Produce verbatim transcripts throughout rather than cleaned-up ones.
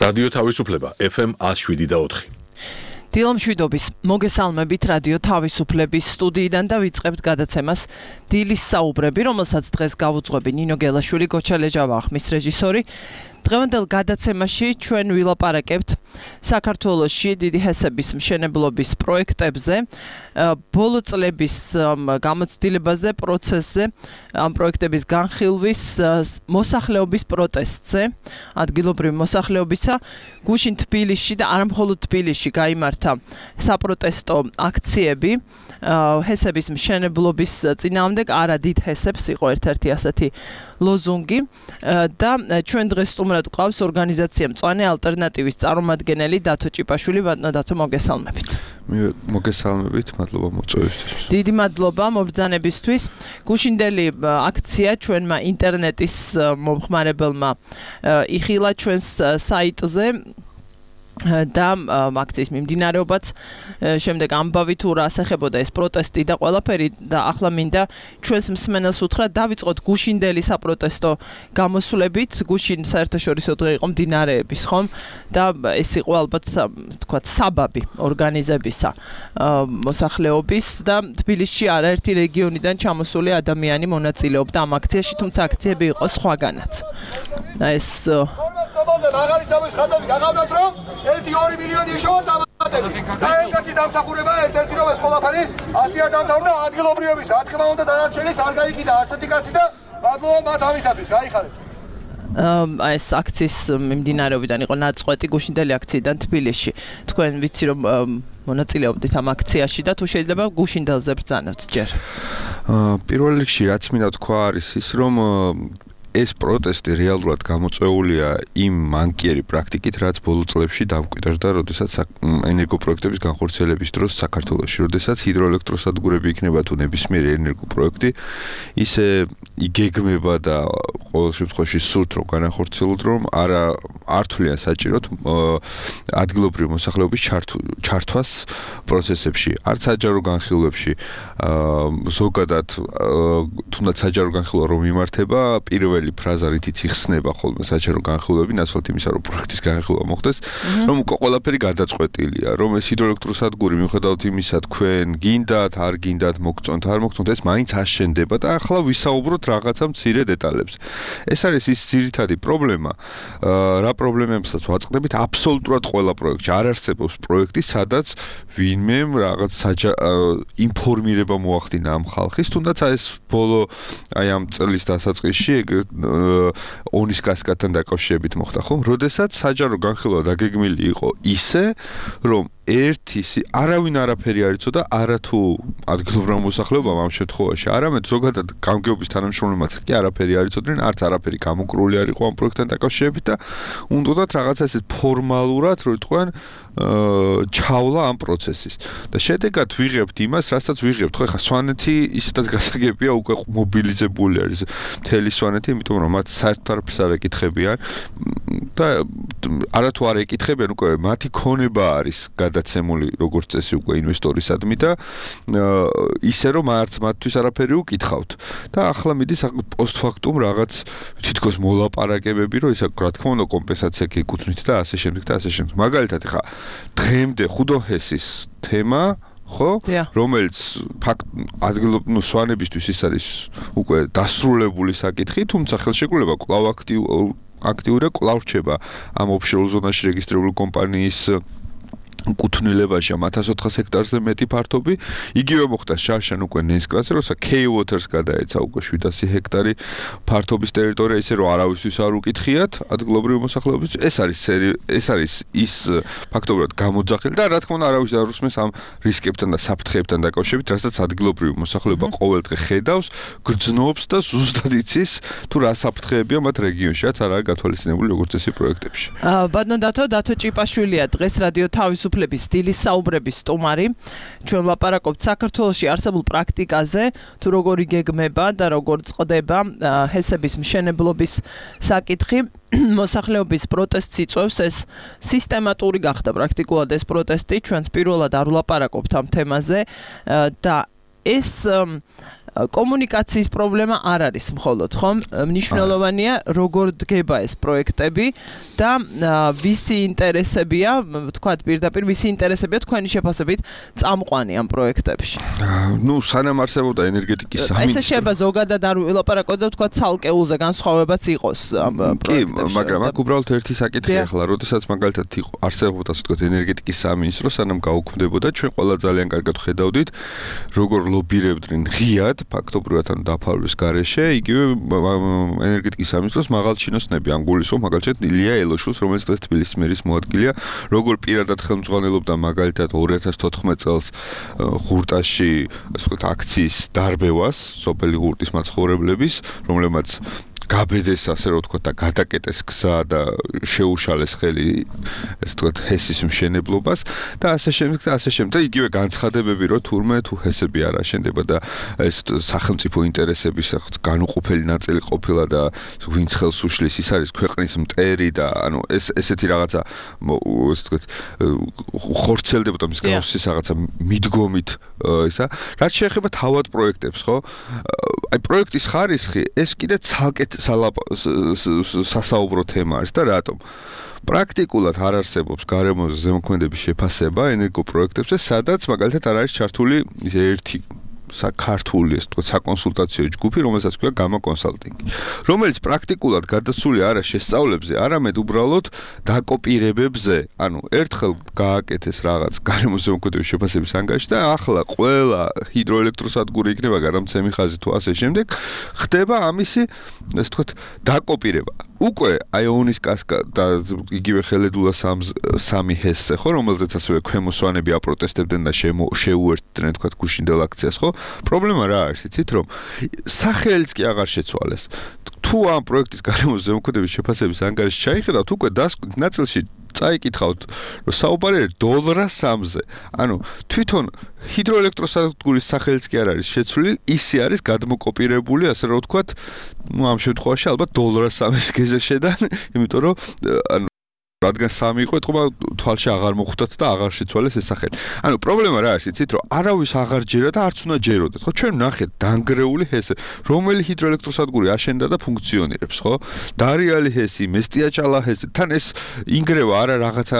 რადიო თავისუფლება ეფ ემ one oh seven და four. დილომშვიდობის მოგესალმებით რადიო თავისუფლების სტუდიიდან და ვიწყებთ გადაცემას დილის საუბრები, რომელსაც დღეს გავუძღვები ნინო გელაშვილი, გოჩა ლეჯავა ხმის რეჟისორი. დღევანდელ გადაცემაში ჩვენ ვილაპარაკებთ საქართველოში დიდი ჰესების მშენებლობის პროექტებზე, ბოლო წლების გამოცდილებაზე, პროცესზე, ამ პროექტების განხილვის, მოსახლეობის პროტესტზე, ადგილობრივი მოსახლეობისა, გუშინ თბილისში და არა მხოლოდ თბილისში გაიმართა საპროტესტო აქციები ჰესების მშენებლობის წინააღმდეგ, არა დიდ ჰესებს იყო ერთ-ერთი ასეთი ლოზუნგი და ჩვენ დღეს სტუმრად გვყავს ორგანიზაცია მწვანე ალტერნატივის წარმომადგენელი დათო ჭიპაშვილი. ბატონო დათო, მოგესალმებით. მოგესალმებით, მადლობა მოწვევისთვის. დიდი მადლობა მომბრძანებისთვის. გუშინდელი აქცია ჩვენმა ინტერნეტის მომხმარებელმა იხილა ჩვენს საიტზე და აქციის მიმდინარეობაც შემდეგ ამბავი თუ რა ასახებოდა ეს პროტესტი და ყველაფერი და ახლა მინდა ჩვენს მსმენელს უთხრა დავიწყოთ გუშინდელი საპროტესტო გამოსვლებით. გუშინ საერთაშორისო დღე იყო მდინარეების, ხომ? და ეს იყო ალბათ თქვათ საბაბი ორგანიზებისა მოსახლეობის და თბილისში არაერთი რეგიონიდან ჩამოსული ადამიანი მონაწილეობდა ამ აქციაში, თუმცა აქციები იყო სხვაგანაც. და ეს მაღალი წამის ხადები გაღავდათ რომ ერთი ორი მილიონი ეშოვა დამატებით. და ეს კაცი დამსახურება ერთ-ერთი რომ ეს ყველაფერი ასე არ დამთავრდა ადგილობრივების. რა თქმა უნდა დანარჩენის არ გაიყიდა ასეთი კაცი და მადლობა მათ ამისათვის. გაიხარეთ. აი ეს აქციის მიმდინარეობიდან იყო ნაწყვეტი გუშინდელი აქციიდან თბილისში. თქვენ ვიცი რომ მონაწილეობდით ამ აქციაში და თუ შეიძლება გუშინდელზე ბრძანოთ ჯერ. პირველ რიგში რაც მინდა თქვა არის ის რომ ეს პროტესტი რეალურად გამოწვეულია იმ მანკიერი პრაქტიკით, რაც ბოლო წლებში დამკვიდრდა, როდესაც ენერგოპროექტების განხორციელების დროს საქართველოში, როდესაც ჰიდროელექტროსადგურები იქნება თუ ნებისმიერი ენერგოპროექტი, ისე იგეგმება და ყოველ შემთხვევაში სურთ რომ განახორციელოთ, რომ არა ართვლიან საჭიროთ ადგილობრივი მოსახლეობის ჩართვას პროცესებში, არც საჯარო განხილვებში, ზოგადად თუნდაც საჯარო განხილვა რომ იმართება, პირველ ფრაზა რითიც იხსნება ხოლმე საჯარო განხილვები, ნაცვლად იმისა, რომ პროექტის განხილვა მოხდეს, რომ უკვე ყველაფერი გადაწყვეტილია, რომ ეს ჰიდროელექტროსადგური მიუხედავად იმისა, თქვენ გინდათ, არ გინდათ, მოგწონთ, არ მოგწონთ, ეს მაინც აშენდება და ახლა ვისაუბროთ რაღაცა მცირე დეტალებზე. ეს არის ის ძირითადი პრობლემა, რა პრობლემებსაც ვაწყდებით აბსოლუტურად ყველა პროექტში. არ არსებობს პროექტი, სადაც ვინმემ რაღაც ინფორმირება მოახდინა ამ ხალხის, თუნდაც ეს ბოლო აი ამ წლის დასაწყისში ონის კასკადთან დაკავშირებით მოხდა, ხო? როდესაც საჯარო განხილვა დაგეგმილი იყო ისე, რომ ერთი არავინ არაფერი არ იცოდა, არა თუ ადგილობრივმა მოსახლეობამ ამ შემთხვევაში, არამედ ზოგადად გამგეობის თანამშრომლებმაც კი არაფერი არ იცოდნენ, არც არაფერი გამოკრული არ იყო ამ პროექტთან დაკავშირებით და უნდათ რაღაცა ესეთ ფორმალურად, რომ თქვენ ჩავლა ამ პროცესის. და შედეგად ვიღებთ იმას, რასაც ვიღებთ. ხო, ეხლა სვანეთი ისედაც გასაგებია, უკვე მობილიზებული არის მთელი სვანეთი, იმიტომ რომ მათ საერთოდ არაფერს არ ეკითხებიან და არათუ არ ეკითხებიან, უკვე მათი ქონება არის გადაცემული როგორც წესი უკვე ინვესტორისადმი და ისე რომ არც მათთვის არაფერი უკითხავთ. და ახლა მიდის პოსტფაქტუმ რაღაც თითქოს მოლაპარაკებები, რომ ისა რა თქმა უნდა კომპენსაცია გეკუთვნით და ასე შემდეგ და ასე შემდეგ. მაგალითად ეხლა დღემდე ხუდოჰესის თემა, ხო, რომელიც ფაქტ ადგილობრივი სვანებისთვის ის არის უკვე დასრულებული საკითხი, თუმცა ხელშეკრულება კვლავ აქტიურ აქტიურია, კვლავ რჩება ამ ოფშორ ზონაში რეგისტრირებული კომპანიის კუთვნილებაში ამ ათას ოთხას ჰექტარზე მეტი ფართობი. იგივე მოხდა შარშან უკვე ნესკრაზე, როცა K-Waters გადაეცა უკვე შვიდასი ჰექტარი ფართობის ტერიტორია, ისე რომ არავისთვის არ უკითხიათ ადგილობრივი მოსახლეობის. ეს არის ეს არის ის ფაქტობრივად გამოძახილი და რა თქმა უნდა არავის არ უსმენს ამ რისკებთან და საფრთხეებთან დაკავშირებით, რასაც ადგილობრივი მოსახლეობა ყოველდღე ხედავს, გრძნობს და ზუსტად იცის თუ რა საფრთხეებია მათ რეგიონში, რაც არაა გათვალისწინებული როგორც წესი პროექტებში. ბატონო დათო, დათო ჭიპაშვილია დღეს რადიო თავისუფლების დილის საუბრების სტუმარი. ჩვენ ვლაპარაკობთ საქართველოში არსებულ პრაქტიკაზე, თუ როგორ იგეგმება და როგორ წყდება ჰესების მშენებლობის საკითხი. მოსახლეობის პროტესტს იწვევს, ეს სისტემატური გახდა პრაქტიკულად ეს პროტესტი. ჩვენს პირველად არ ვლაპარაკობთ ამ თემაზე და ეს კომუნიკაციის პრობლემა არ არის მხოლოდ, ხომ? მნიშვნელოვანია როგორ დგება ეს პროექტები და ვისი ინტერესებია, თქვათ პირდაპირ ვისი ინტერესებია თქვენი შეფასებით წამყვანი ამ პროექტებში. ნუ სანამ არსებობდა ენერგეტიკის სამინისტრო. ესე შეიძლება ზოგადად არ ვილაპარაკოთ და თქვათ ცალკეულზე განსხვავებაც იყოს ამ პროექტებში. კი, მაგრამ აქ უბრალოდ ერთი საკითხი ახლა, როდესაც მაგალითად იყო არსებობდა ასე ვთქვათ ენერგეტიკის სამინისტრო, სანამ გაუქმდებოდა, ჩვენ ყველა ძალიან კარგად ხედავდით, როგორ ლობირებდნენ ღიად, ფაქტობრივად ან დაფარვის გარეშე, იგივე ენერგეტიკის სამინისტროს მაღალჩინოსნები, ან გულისხმობ მაგალითად ილია ელოშულს, რომელიც დღეს თბილისის მერის მოადგილეა, როგორ პირადად ხელმძღვანელობდა მაგალითად ორი ათას თოთხმეტ წელს ღურტაში, ასე ვთქვათ, აქციის დარბევას, სოფელი ღურტის მაცხოვრებლების, რომლებმაც გაბედეს ასე რომ ვთქვათ და გადაკეტეს გზა და შეუშალეს ხელი ესე ვთქვათ ჰესის მშენებლობას და ასე შემდეგ და ასე შემდეგ და იგივე განცხადებები რომ თურმე თუ ჰესები არ აშენდება და ეს სახელმწიფო ინტერესების განუყოფელი ნაწილი ყოფილა და ვინც ხელს უშლის ის არის ქვეყნის მტერი და ანუ ეს ესეთი რაღაცა ესე ვთქვათ ხორცელდებოდა მის გამოსის რაღაცა მიდგომით ისა რაც შეეხება თავად პროექტებს ხო აი პროექტის ხარისხი ეს კიდე ცალკეთ სასაუბრო თემა არის და რატომ? პრაქტიკულად არ არსებობს გარემოზე ზემოქმედების შეფასება ენერგოპროექტებზე, სადაც მაგალითად არ არის ჩართული ერთი საქართველოს ეს თქო საკონსულტაციო ჯგუფი, რომელსაც ქვია გამა კონსალტინგი, რომელიც პრაქტიკულად გადასული არა შესწავლებზე, არამედ უბრალოდ დაკოპირებებზე, ანუ ერთხელ გააკეთეს რაღაც გარემოს ზემოქმედების შეფასების ანგარიში და ახლა ყველა ჰიდროელექტროსადგური იქნება გადამცემი ხაზი თუ ასე შემდეგ, ხდება ამისი, ესე ვთქვათ, დაკოპირება. უკვე აიონის კასკადა და იგივე ხელედულა სამი ჰესზე ხო, რომელზეც ასევე ქვემოსვანები აპროტესტებდნენ და შეუერთდნენ თქვათ გუშინდელ აქციას ხო? პრობლემა რა არის, იცით რომ სახელიც კი აღარ შეცვალეს. თუ ამ პროექტის გარემოს ზემოქმედების შეფასების ანგარიში ჩაიხედავთ, უკვე დასკვით ნაწილში წაიკითხავთ, რომ საუბარი არის დოლარ სამზე. ანუ თვითონ ჰიდროელექტროსადგურის სახელიც კი არ არის შეცვლილი, ისე არის გადმოკოპირებული, ასე რომ ვთქვათ, ну ამ შემთხვევაში ალბათ დოლარ სამის გეზზე შედან, იმიტომ რომ ანუ რადგან სამი იყო, ეთქობა თვალში აღარ მოხვდათ და აღარ შეცვალეს ეს სახელი. ანუ პრობლემა რა არის, იცით, რომ არავის აღარ ჯერა და არც უნდა ჯეროდეთ, ხო? ჩვენ ვნახეთ დანგრეული ჰესი, რომელი ჰიდროელექტროსადგური აშენდა და ფუნქციონირებს, ხო? დარიალი ჰესი, მესტიაჭალა ჰესი, თან ეს ინგრევა არა რაღაცა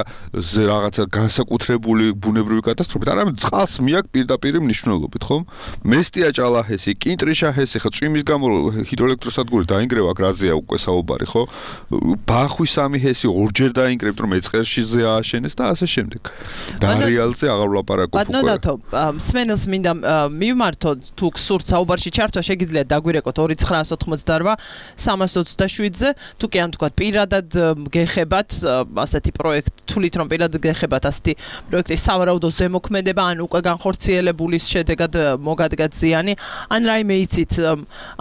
რაღაცა განსაკუთრებული ბუნებრივი კატასტროფით, არამედ წყალს მიაქვს პირდაპირ მნიშვნელობით, ხო? მესტიაჭალა ჰესი, კინტრიშა ჰესი, ხო, წვიმის გამო ჰიდროელექტროსადგური დაინგრევა, აქ რაზეა უკვე საუბარი, ხო? ბახვის სამი ჰესი ორჯერ და ინკრებთ რომ ეწყერშიზე ააშენეს და ასე შემდეგ. დარიალზე აღარ ვლაპარაკობ უკვე. ბატონო დათო, სმენელს მინდა მივმართო თუ გსურთ საუბარში ჩართვა, შეგიძლიათ დაგვირეკოთ ორი ცხრაას ოთხმოცდაოთხ სამას ოცდაშვიდზე, თუ კი ან თქვა პირადად გეხებათ ასეთი პროექტ, თulit რომ პირადად გეხებათ ასეთი პროექტის სავარაუდო ზემოქმედება, ან უკვე განხორციელებულის შედეგად მოგადგათ ზიანი, ან რაიმე იცით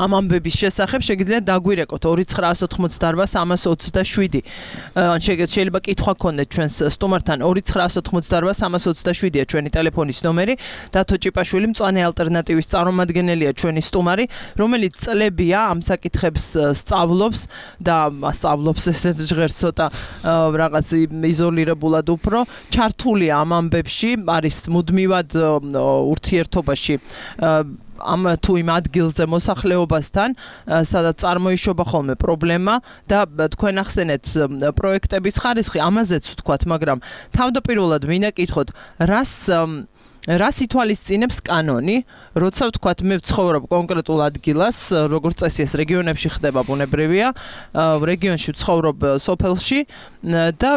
ამ ამბების შესახებ, შეგიძლიათ დაგვირეკოთ ორი ცხრაას ოთხმოცდაოთხ სამას ოცდაშვიდი. ან შეიძლება კითხვა გქონდეთ ჩვენს სტუმართან ორი ცხრაას ოთხმოცდაოთხ სამას ოცდაშვიდია ჩვენი ტელეფონის ნომერი. დათო ჭიპაშვილი მწვანე ალტერნატივის წარმომადგენელია ჩვენი სტუმარი, რომელიც წლებია ამ საკითხებს სწავლობს და სწავლობს ესე ჟღერს ცოტა რაღაც იზოლირებულად უფრო ჩართულია ამ ამბებში, არის მუდმივად ურთიერთობაში ამ თუ იმ ადგილზე მოსახლეობასთან, სადაც წარმოიშობა ხოლმე პრობლემა და თქვენ ახსენეთ პროექტების ხარისხი, ამაზეც ვთქვათ, მაგრამ თავდაპირველად მინდა კითხოთ, რას რას ითვალისწინებს კანონი, როცა ვთქვათ, მე ვცხოვრობ კონკრეტულ ადგილას, როგორც წესი ეს რეგიონებში ხდება ბუნებრივია, რეგიონში ვცხოვრობ სოფელში და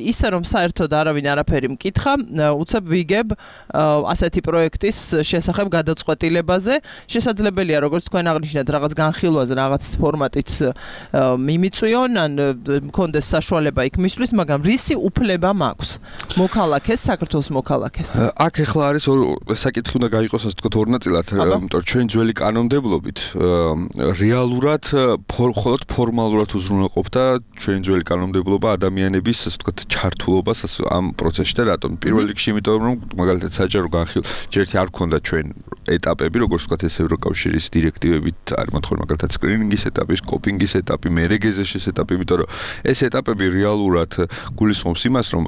ისე რომ საერთოდ არავინ არაფერი მკითხა, უცებ ვიგებ ასეთი პროექტის შესახებ გადაწყვეტილებაზე. შესაძლებელია, როგორც თქვენ აღნიშნეთ, რაღაც განხილვაზე, რაღაც ფორმატით მიმიწვიონ, ან მქონდეს საშუალება იქ მისვლის, მაგრამ რისი უფლება მაქვს მოქალაქეს, საქართველოს მოქალაქეს? აქ ახლა არის საკითხი უნდა გაიყოს ასე ვთქვათ ორ ნაწილად, იმიტომ რომ ჩვენ ძველი კანონმდებლობით რეალურად მხოლოდ ფორმალურად უზრუნველყოფდა ჩვენი ძველი კანონმდებლობა ადამიანების ასე ვთქვათ ჩართულობას ამ პროცესში და რატომ? პირველ რიგში იმიტომ რომ მაგალითად საჯარო განხილვა ჯერტი არ გქონდა ჩვენ ეტაპები, როგორც ვთქვათ ეს ევროკავშირის დირექტივებით არის მოთხოვნა მაგალითად სკრინინგის ეტაპი, სკოპინგის ეტაპი, მერეგეზეშის ეტაპი, იმიტომ რომ ეს ეტაპები რეალურად გულისხმობს იმას, რომ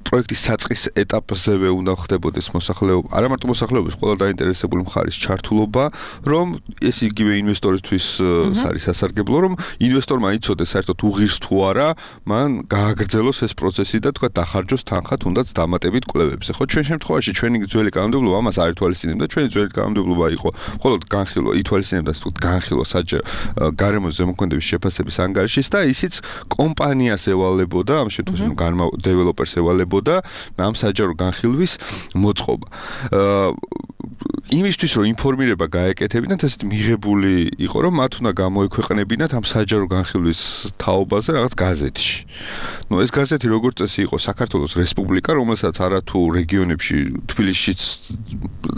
პროექტის საწყის ეტაპზევე უნდა ხდებოდა მოხდეს მოსახლეობა, არა მარტო მოსახლეობის, ყველა დაინტერესებული მხარის ჩართულობა, რომ ეს იგივე ინვესტორისთვის არის სასარგებლო, რომ ინვესტორმა იცოდეს საერთოდ უღირს თუ არა, მან გააგრძელოს ეს პროცესი და თქვა დახარჯოს თანხა თუნდაც დამატებით კვლევებზე. ხო, ჩვენ შემთხვევაში ჩვენი ძველი კანონმდებლობა ამას არ ითვალისწინებდა, ჩვენი ძველი კანონმდებლობა იყო მხოლოდ განხილვა, ითვალისწინებდა თუ განხილვა საჯარო გარემოს ზემოქმედების შეფასების ანგარიშის და ისიც კომპანიას ევალებოდა, ამ შემთხვევაში განმა დეველოპერს ევალებოდა ამ საჯარო განხილვის მოწყობა. იმისთვის რომ ინფორმირება გაეკეთებინათ, ესეთი მიღებული იყო, რომ მათ უნდა გამოექვეყნებინათ ამ საჯარო განხილვის თაობაზე რაღაც გაზეთში. ნუ ეს გაზეთი როგორც წესი იყო საქართველოს რესპუბლიკა, რომელსაც არათუ რეგიონებში, თბილისშიც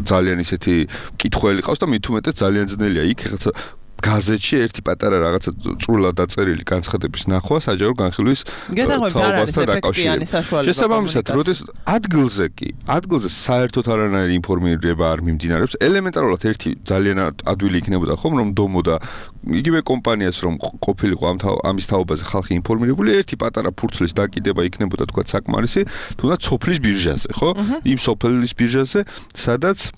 ძალიან ისეთი კითხველი ყავს და მით უმეტეს ძალიან ძნელია იქ რაღაცა გაზეთში ერთი პატარა რაღაცა წვრილად დაწერილი განცხადების ნახვა საჯარო განხილვის თაობასთან დაკავშირებით. შესაბამისად, როდეს ადგილზე კი, ადგილზე საერთოდ არანაირი ინფორმირება არ მიმდინარეობს. ელემენტარულად ერთი ძალიან ადვილი იქნებოდა ხომ, რომ დომოდა იგივე კომპანიას რომ ყოფილიყო ამ ამის თაობაზე ხალხი ინფორმირებული, ერთი პატარა ფურცლის დაკიდება იქნებოდა თქვა საკმარისი, თუნდაც სოფლის ბირჟაზე, ხო? იმ სოფლის ბირჟაზე, სადაც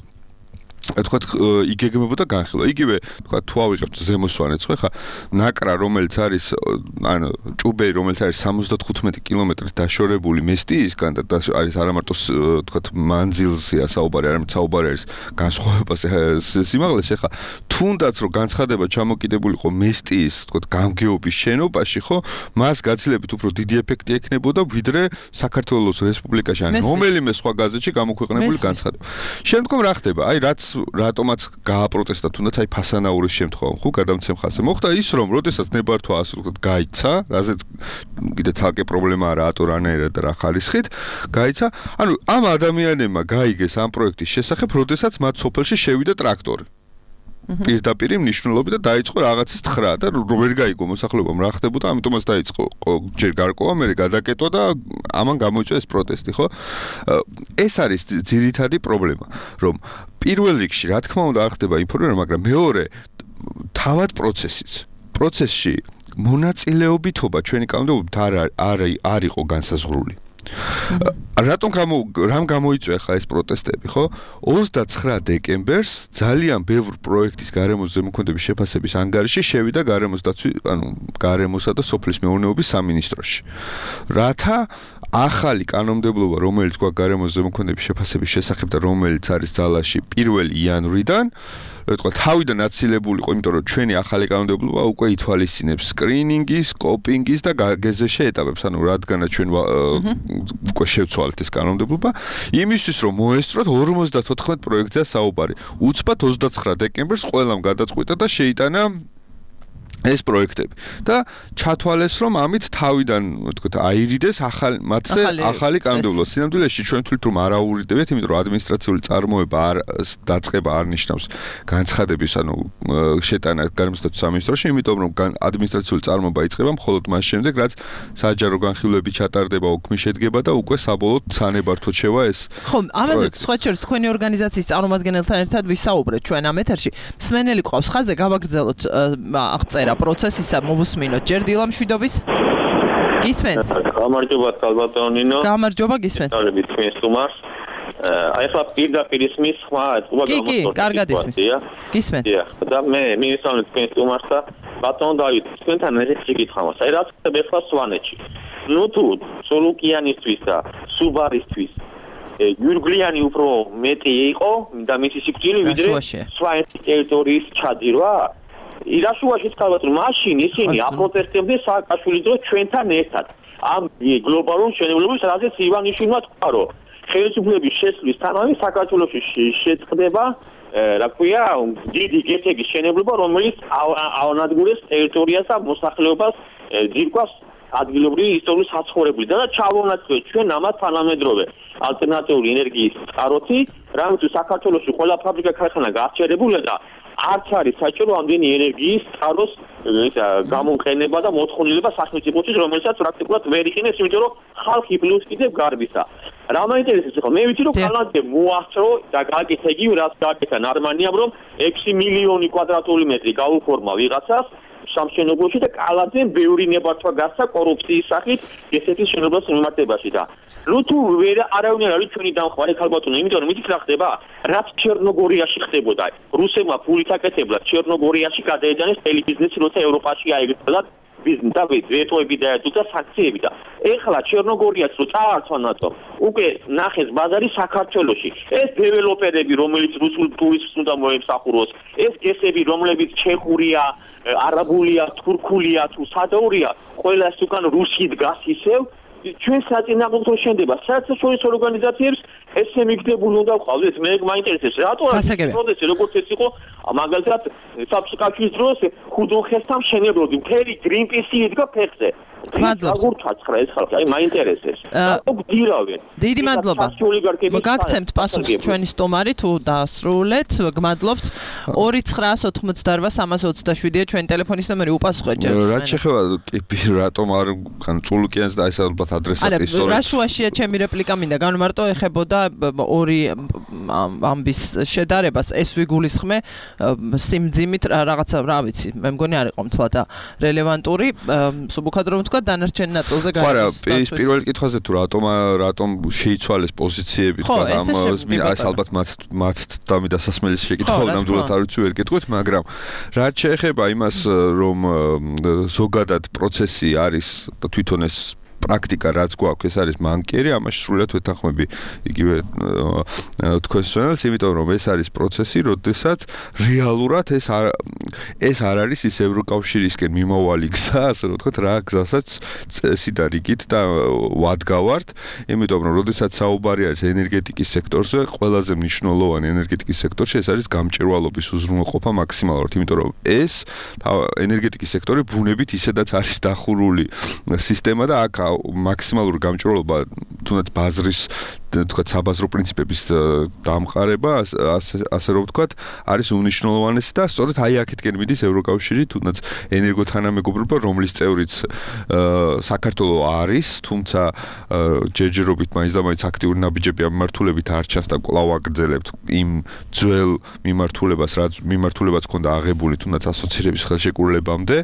თქვათ იგეგმებოდა განხილვა. იგივე თქვათ თუ ავიღებთ ზემოსვანეთს, ხო ხა ნაკრა რომელიც არის ანუ ჭუბეი რომელიც არის სამოცდათხუთმეტი კილომეტრით დაშორებული მესტიისგან და არის არა მარტო თქვათ მანძილზეა საუბარი, არამედ საუბარი არის განსხვავებაზე სიმაღლეში, ხა თუნდაც რომ განცხადება ჩამოკიდებულიყო მესტიის თქვათ გამგეობის შენობაში, ხო მას გაცილებით უფრო დიდი ეფექტი ექნებოდა ვიდრე საქართველოს რესპუბლიკაში ან რომელიმე სხვა გაზეთში გამოქვეყნებული განცხადება. შემდგომ რა ხდება? აი რაც რატომაც გააპროტესტა თუნდაც აი ფასანაურის შემთხვევა, ხო, გადამცემ ხასე. მოხდა ის, რომ როდესაც ნებართვა ასე ვთქვათ გაიცა, რაზეც კიდე ცალკე პრობლემაა რატო რანაირად და რა ხარისხით, გაიცა. ანუ ამ ადამიანებმა გაიგეს ამ პროექტის შესახებ, როდესაც მათ სოფელში შევიდა ტრაქტორი. პირდაპირ მნიშვნელობით და დაიწყო რაღაცის თხრა და ვერ გაიგო მოსახლეობამ რა ხდებოდა, ამიტომაც დაიწყო ჯერ გარკვევა, მერე გადაკეტვა და ამან გამოიწვია ეს პროტესტი, ხო? ეს არის ძირითადი პრობლემა, რომ პირველ რიგში, რა თქმა უნდა, არ ხდება ინფორმირება, მაგრამ მეორე თავად პროცესიც. პროცესში მონაწილეობითობა ჩვენი კანონმდებლობით არ არ არ იყო განსაზღვრული. რატომ გამო რამ გამოიწვია ხა ეს პროტესტები, ხო? ოცდაცხრა დეკემბერს ძალიან ბევრ პროექტის გარემოს ზემოქმედების შეფასების ანგარიში შევიდა გარემოს დაცვის, ანუ გარემოსა და სოფლის მეურნეობის სამინისტროში. რათა ახალი კანონმდებლობა, რომელიც გვაქვს გარემოს ზემოქმედების შეფასების შესახებ და რომელიც არის ძალაში პირველი იანვრიდან, ვთქვა, თავიდან აცილებული იყო, იმიტომ რომ ჩვენი ახალი კანონმდებლობა უკვე ითვალისწინებს სკრინინგის, სკოპინგის და გეზეშე ეტაპებს, ანუ რადგანაც ჩვენ უკვე შევცვალეთ ეს კანონმდებლობა, იმისთვის რომ მოესწროთ ორმოცდათოთხმეტ პროექტზეა საუბარი. უცბად ოცდაცხრა დეკემბერს ყველამ გადაწყვიტა და შეიტანა ეს პროექტები და ჩათვალეს რომ ამით თავიდან ვთქვათ აირიდეს ახალ მათზე ახალი კანონმდებლობა. სინამდვილეში ჩვენ თვლით რომ არ აურიდებით, იმიტომ რომ ადმინისტრაციული წარმოება არ დაწყება არ ნიშნავს განცხადების ანუ შეტანა გარემოს დაცვის სამინისტროში, იმიტომ რომ ადმინისტრაციული წარმოება იწყება მხოლოდ მას შემდეგ, რაც საჯარო განხილვები ჩატარდება, უქმი შედგება და უკვე საბოლოოდ სანებართვოდ შევა ეს. ხო, ამაზე სხვა შორის თქვენი ორგანიზაციის წარმომადგენელთან ერთად ვისაუბრეთ ჩვენ ამ ეთერში. მსმენელი ყავს ხაზზე, გავაგრძელოთ აღწერა პროცესისა მოვუსმინოთ ჯერ დილამშვიდობის. გისმენთ? გამარჯობა კალბატონინო. გამარჯობა, გისმენთ. დავებით თქვენს სტუმარს. აი ახლა პირდაპირ ისმის ხმა, უბრალოდ კი, კი, კარგად ისმის. გისმენთ. დიახ, და მე მინისტრალით თქვენს სტუმარს და ბატონ დავით, თქვენთან ესეთი კითხავს. აი რაც ხდება ახლა სვანეთში. ნუ თუ სოლუკიანისთვის და სუბარისთვის იურგლიანი უფრო მეტი იყო და მისი სიკვდილი ვიდრე სვანეთის ტერიტორიის ჩაძირვა. ირაშუაშიც ხალხს მაშინ ისინი აპროტესტებდნენ სააკაშვილის დროს ჩვენთან ერთად ამ გლობალურ მშენებლობის, რაზეც ივანიშვილმა თქვა, რომ ხელისუფლების შესვლისთანავე საქართველოში შეწყდება რა ქვია დიდი გეთების მშენებლობა, რომელიც აუნადგურებს ტერიტორიას და მოსახლეობას ძირკვას ადგილობრივი ისტორიული საცხოვრებლი და ჩავონაცვლეთ ჩვენ ამათ თანამედროვე ალტერნატიული ენერგიის წყაროთი, რამაც საქართველოში ყველა ფაბრიკა ქარხანა გააჩერებულა და არც არის საჭირო ამდენი ენერგიის წყაროს გამომყენება და მოთხოვნილება სახელმწიფოთვის, რომელსაც პრაქტიკულად ვერ იყენებს, იმიტომ რომ ხალხი პლუს კიდევ გარბისა. რა მაინტერესებს ხო? მე ვიცი რომ კანადაზე მოახწრო და გააკეთა იგივე რაც გააკეთა ნარმანიამ, რომ ექვსი მილიონი კვადრატული მეტრი გაუფორმა ვიღაცას, სამშენებლოში და კალაძემ ბევრი ნებართვა გასცა კორუფციის სახით ესეთი შენობის მიმართებაში და ნუ თუ ვერ არავინ არ არის ჩვენი დამხმარე ქალბატონო, იმიტომ რომ იცით რა ხდება? რაც ჩერნოგორიაში ხდებოდა, რუსებმა ფულით აკეთებლად ჩერნოგორიაში გადაეჯანეს მთელი ბიზნესი, როცა ევროპაში აიგრძნოდათ ბიზნესი და ვეტოები დაეწუდა და საქციები და ეხლა ჩერნოგორიაც რო წაართვა ნატომ, უკვე ნახეს ბაზარი საქართველოში. ეს დეველოპერები, რომელიც რუსულ ტურისტს უნდა მოემსახუროს, ეს გესები, რომლებიც ჩეხურია, არაბულია, თურქულია თუ სადაურია, ყველას უკან რუსი დგას ისევ ჩვენ საწინააღმდეგო შენდება საერთაშორისო ორგანიზაციებს ესე მიგდებული უნდა ვყავდეთ მე მაინტერესებს რატო არის პროცესი როგორც ეს იყო მაგალითად საბჭოთა დროს ხუდონხესთან შენებლოდი მთელი გრინპისი იდგა ფეხზე აგურჩა ცხრა ეს ხალხი აი მაინტერესებს რატო გდირავენ დიდი მადლობა მოგაქცემთ პასუხს ჩვენი სტომარი თუ დაასრულეთ გმადლობთ ორი ცხრაას ოთხმოცდაორვა სამას ოცდაშვიდია ჩვენი ტელეფონის ნომერი უპასუხეთ ჯერ რა შეხება ტიპი რატომ არ ხან წულუკიანს და ეს ალბათ ადრესატი სწორად რა შუაშია ჩემი რეპლიკა მინდა განმარტო ეხებოდა ორი ამბის შედარებას ეს ვიგულისხმე სიმძიმით რაღაცა რა ვიცი მე მგონი არ იყო მთლად რელევანტური სუბუქად რომ თქვა დანარჩენ ნაწილზე გაიგოს ხო რა ის პირველ კითხვაზე თუ რატომ რატომ შეიცვალეს პოზიციები თქვა ამ ეს ალბათ მათ მათ დამიდასასმელის შეკითხვა ნამდვილად არ ვიცი ვერ გეტყვით მაგრამ რაც შეეხება იმას რომ ზოგადად პროცესი არის და თვითონ ეს პრაქტიკა რაც გვაქვს ეს არის მანკიერი ამაში სრულად ვეთანხმები იგივე თქვენს ვენელს იმიტომ რომ ეს არის პროცესი როდესაც რეალურად ეს არ ეს არ არის ის ევროკავშირისკენ მიმავალი გზა ასე რომ ვთქვათ რა გზასაც წესი და რიგით და ვადგავართ იმიტომ რომ როდესაც საუბარი არის ენერგეტიკის სექტორზე ყველაზე მნიშვნელოვანი ენერგეტიკის სექტორში ეს არის გამჭვირვალობის უზრუნველყოფა მაქსიმალურად იმიტომ რომ ეს ენერგეტიკის სექტორი ბუნებით ისედაც არის დახურული სისტემა და აქ მაქსიმალური გამჭვირვალობა თუნდაც ბაზრის თქვა საბაზრო პრინციპების დამყარება ასე რომ ვთქვათ არის უნიშნულოვანესი და სწორედ აი აქეთკენ მიდის ევროკავშირი თუნდაც ენერგოთანამეგობრობა რომლის წევრიც საქართველოს არის თუმცა ჯერჯერობით მაინც და მაინც აქტიური ნაბიჯები ამ მიმართულებით არ ჩანს და კვლავ აგრძელებთ იმ ძველ მიმართულებას რაც მიმართულებაც ქონდა აღებული თუნდაც ასოცირების ხელშეკრულებამდე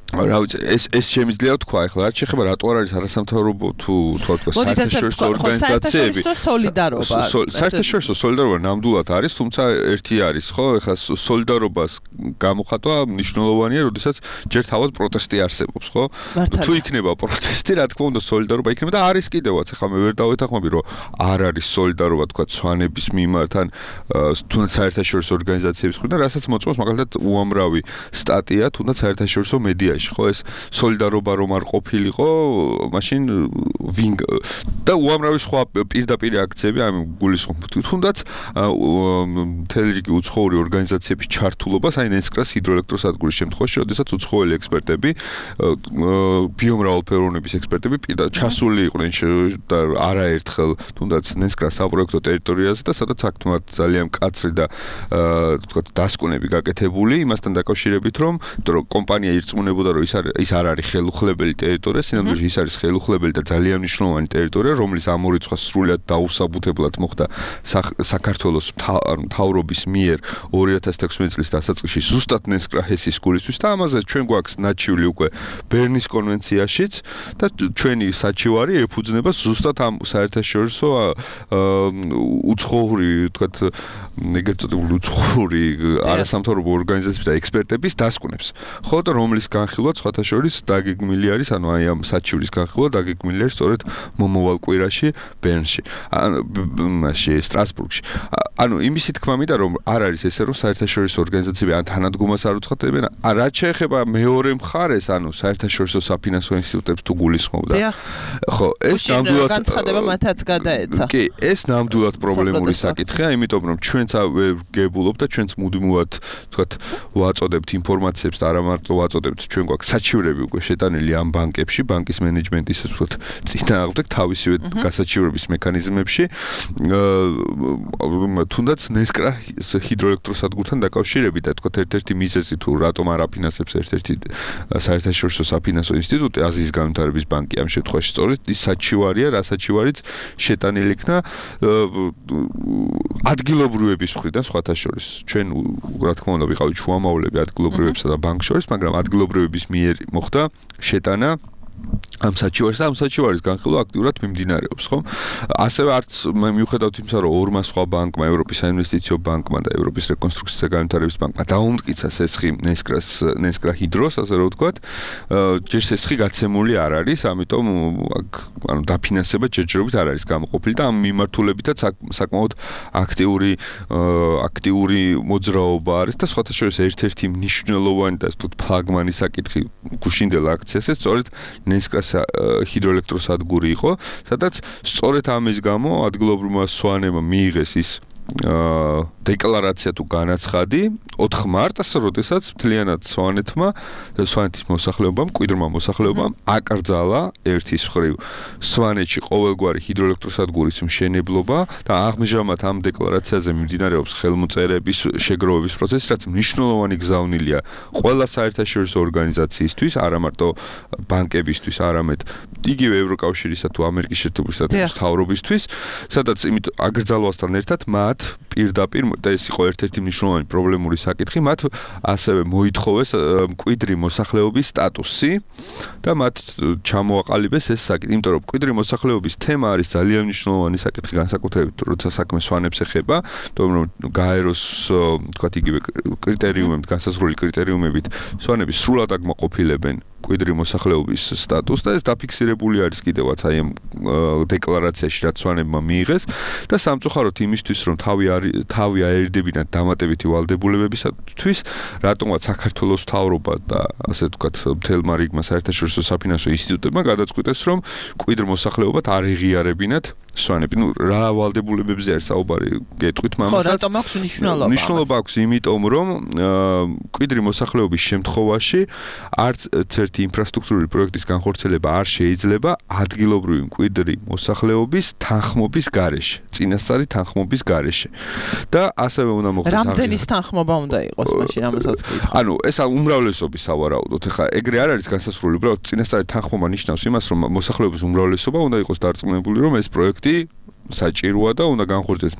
რა ვიცი ეს ეს შემიძლია თქვა ახლა რაც შეხება რატო არ არის არასამთავრობო თუ თქვა საერთაშორისო ორგანიზაციები სოლიდარობა საერთაშორისო სოლიდარობა ნამდვილად არის თუმცა ერთი არის ხო ახლა სოლიდარობას გამოხატვა მნიშვნელოვანია როდესაც ჯერ თავად პროტესტი არსებობს ხო თუ იქნება პროტესტი რა თქმა უნდა სოლიდარობა იქნება და არის კიდევაც ახლა მე ვერ დავეთანხმები რომ არ არის სოლიდარობა თქვა სვანების მიმართ ან თუნდაც საერთაშორისო ორგანიზაციების მხრიდან რასაც მოწმობს მაგალითად უამრავი სტატია თუნდაც საერთაშორისო მედია ხო ეს სოლიდარობა რომ არ ყოფილიყო მაშინ ვინ და უამრავი სხვა პირდაპირ აქციები ამ გულისხმობთ თუნდაც მთელი რიგი უცხოური ორგანიზაციების ჩართულობას აი ნესკრას ჰიდროელექტროსადგურის შემთხვევაში როდესაც უცხოელი ექსპერტები ბიომრავალფეროვნების ექსპერტები პირდაპირ ჩასული იყვნენ და არაერთხელ თუნდაც ნესკრას საპროექტო ტერიტორიაზე და სადაც აქ ძალიან მკაცრი და თქვა დასკვნები გაკეთებული იმასთან დაკავშირებით რომ კომპანია ირწმუნებოდა რომ ის არ ის არ არის ხელუხლებელი ტერიტორია, სინამდვილეში ის არის ხელუხლებელი და ძალიან მნიშვნელოვანი ტერიტორია, რომლის ამ ორი სხვა სრულად დაუსაბუთებლად მოხდა საქართველოს მთავრობის მიერ ორი ათას თექვსმეტი წლის დასაწყისში ზუსტად ნესკრა ჰესის გულისთვის და ამაზე ჩვენ გვაქვს ნაჩვილი უკვე ბერნის კონვენციაშიც და ჩვენი საჩივარი ეფუძნება ზუსტად ამ საერთაშორისო უცხოური, ვთქვათ, ეგრეთ წოდებული უცხოური არასამთავრობო ორგანიზაციების და ექსპერტების დასკვნებს. ხო და რომლის განხილვა სხვათა შორის დაგეგმილი არის, ანუ აი ამ საჩივრის განხილვა დაგეგმილი არის სწორედ მომავალ კვირაში ბერნში, მაშინ სტრასბურგში. ანუ იმისი თქმა მინდა რომ არ არის ესე რომ საერთაშორისო ორგანიზაციები ან თანადგომას არ უცხადებენ, რაც შეეხება მეორე მხარეს, ანუ საერთაშორისო საფინანსო ინსტიტუტებს თუ გულისხმობდა. ხო, ეს ნამდვილად განცხადება მათაც გადაეცა. კი, ეს ნამდვილად პრობლემური საკითხია, იმიტომ რომ ჩვენც ვგებულობ და ჩვენც მუდმივად, ვთქვათ, ვაწოდებთ ინფორმაციებს და არა მარტო ვაწოდებთ, ჩვენ გვაქვს საჩივრები უკვე შეტანილი ამ ბანკებში, ბანკის მენეჯმენტის, ვთქვათ, წინააღმდეგ თავისივე გასაჩივრების მექანიზმებში. თუნდაც ნესკრას ჰიდროელექტროსადგურთან დაკავშირებით, თქვა ერთ-ერთი მიზეზი თუ რატომ არ აფინანსებს ერთ-ერთი საერთაშორისო საფინანსო ინსტიტუტი, აზიის განვითარების ბანკი ამ შემთხვევაში სწორედ ის საჩივარია, რა საჩივარიც შეტანილი იქნა ადგილობრივების მხრიდან სხვათა შორის. ჩვენ რა თქმა უნდა ვიყავით შუამავლები ადგილობრივებსა და ბანკ შორის, მაგრამ ადგილობრივების მიერ მოხდა შეტანა ამ საჩივარს და ამ საჩივარის განხილვა აქტიურად მიმდინარეობს, ხო? ასევე არც მიუხედავად იმისა, რომ ორმა სხვა ბანკმა, ევროპის საინვესტიციო ბანკმა და ევროპის რეკონსტრუქციის და განვითარების ბანკმა დაუმტკიცა სესხი ნესკრას ნესკრა ჰიდროს, ასე რომ ვთქვათ, ჯერ სესხი გაცემული არ არის, ამიტომ აქ ანუ დაფინანსება ჯერჯერობით არ არის გამოყოფილი და ამ მიმართულებითაც საკმაოდ აქტიური აქტიური მოძრაობა არის და სხვათა შორის ერთ-ერთი მნიშვნელოვანი და თუთ ფლაგმანი საკითხი გუშინდელ აქციაზე სწორედ ნესკრას ჰიდროელექტროსადგური იყო, სადაც სწორედ ამის გამო ადგილობრივმა სვანებმა მიიღეს ის დეკლარაცია თუ განაცხადი ოთხ მარტს, როდესაც მთლიანად სვანეთმა სვანეთის მოსახლეობამ, მკვიდრმა მოსახლეობამ აკრძალა ერთის მხრივ სვანეთში ყოველგვარი ჰიდროელექტროსადგურის მშენებლობა და ამჟამად ამ დეკლარაციაზე მიმდინარეობს ხელმოწერების შეგროვების პროცესი, რაც მნიშვნელოვანი გზავნილია ყველა საერთაშორისო ორგანიზაციისთვის, არა მარტო ბანკებისთვის, არამედ იგივე ევროკავშირისა თუ ამერიკის შეერთებული შტატების მთავრობისთვის, სადაც იმით აკრძალვასთან ერთად მათ პირდაპირ და ეს იყო ერთ-ერთი მნიშვნელოვანი პრობლემური საკითხი, მათ ასევე მოითხოვეს მკვიდრი მოსახლეობის სტატუსი და მათ ჩამოაყალიბეს ეს საკითხი, იმიტომ რომ მკვიდრი მოსახლეობის თემა არის ძალიან მნიშვნელოვანი საკითხი, განსაკუთრებით როცა საქმე სვანებს ეხება, თუმცა რომ გაეროს თქვათ იგივე კრიტერიუმებით, განსაზღვრული კრიტერიუმებით სვანები სრულად აკმაყოფილებენ მკვიდრი მოსახლეობის სტატუსს და ეს დაფიქსირებული არის კიდევაც აი ამ დეკლარაციაში, რაც სვანებმა მიიღეს და სამწუხაროდ იმისთვის, რომ თავი თავი აერიდებინათ დამატებითი ვალდებულებებისათვის, რატომაც საქართველოს მთავრობა და ასე ვთქვათ მთელმა რიგმა საერთაშორისო საფინანსო ინსტიტუტებმა გადაწყვიტეს, რომ მკვიდრ მოსახლეობად არ ეღიარებინათ სვანები. ნუ რა ვალდებულებებზე არის საუბარი, გეტყვით მამასაც. ხო, რატომ აქვს მნიშვნელობა? მნიშვნელობა აქვს იმიტომ, რომ მკვიდრი მოსახლეობის შემთხვევაში არც ერთი ინფრასტრუქტურული პროექტის განხორციელება არ შეიძლება ადგილობრივი მკვიდრი მოსახლეობის თანხმობის გარეშე, წინასწარი თანხმობის გარეშე. და ასევე უნდა მოხდეს რამდენის თანხმობა უნდა იყოს მაშინ ამასაც გითხარ. ანუ ეს უმრავლესობის სავარაუდოდ, ეხლა ეგრე არ არის განსასრული, უბრალოდ წინასწარი თანხმობა ნიშნავს იმას, რომ მოსახლეობის უმრავლესობა უნდა იყოს დარწმუნებული, რომ ეს პროექტი საჭიროა და უნდა განხორციელდეს.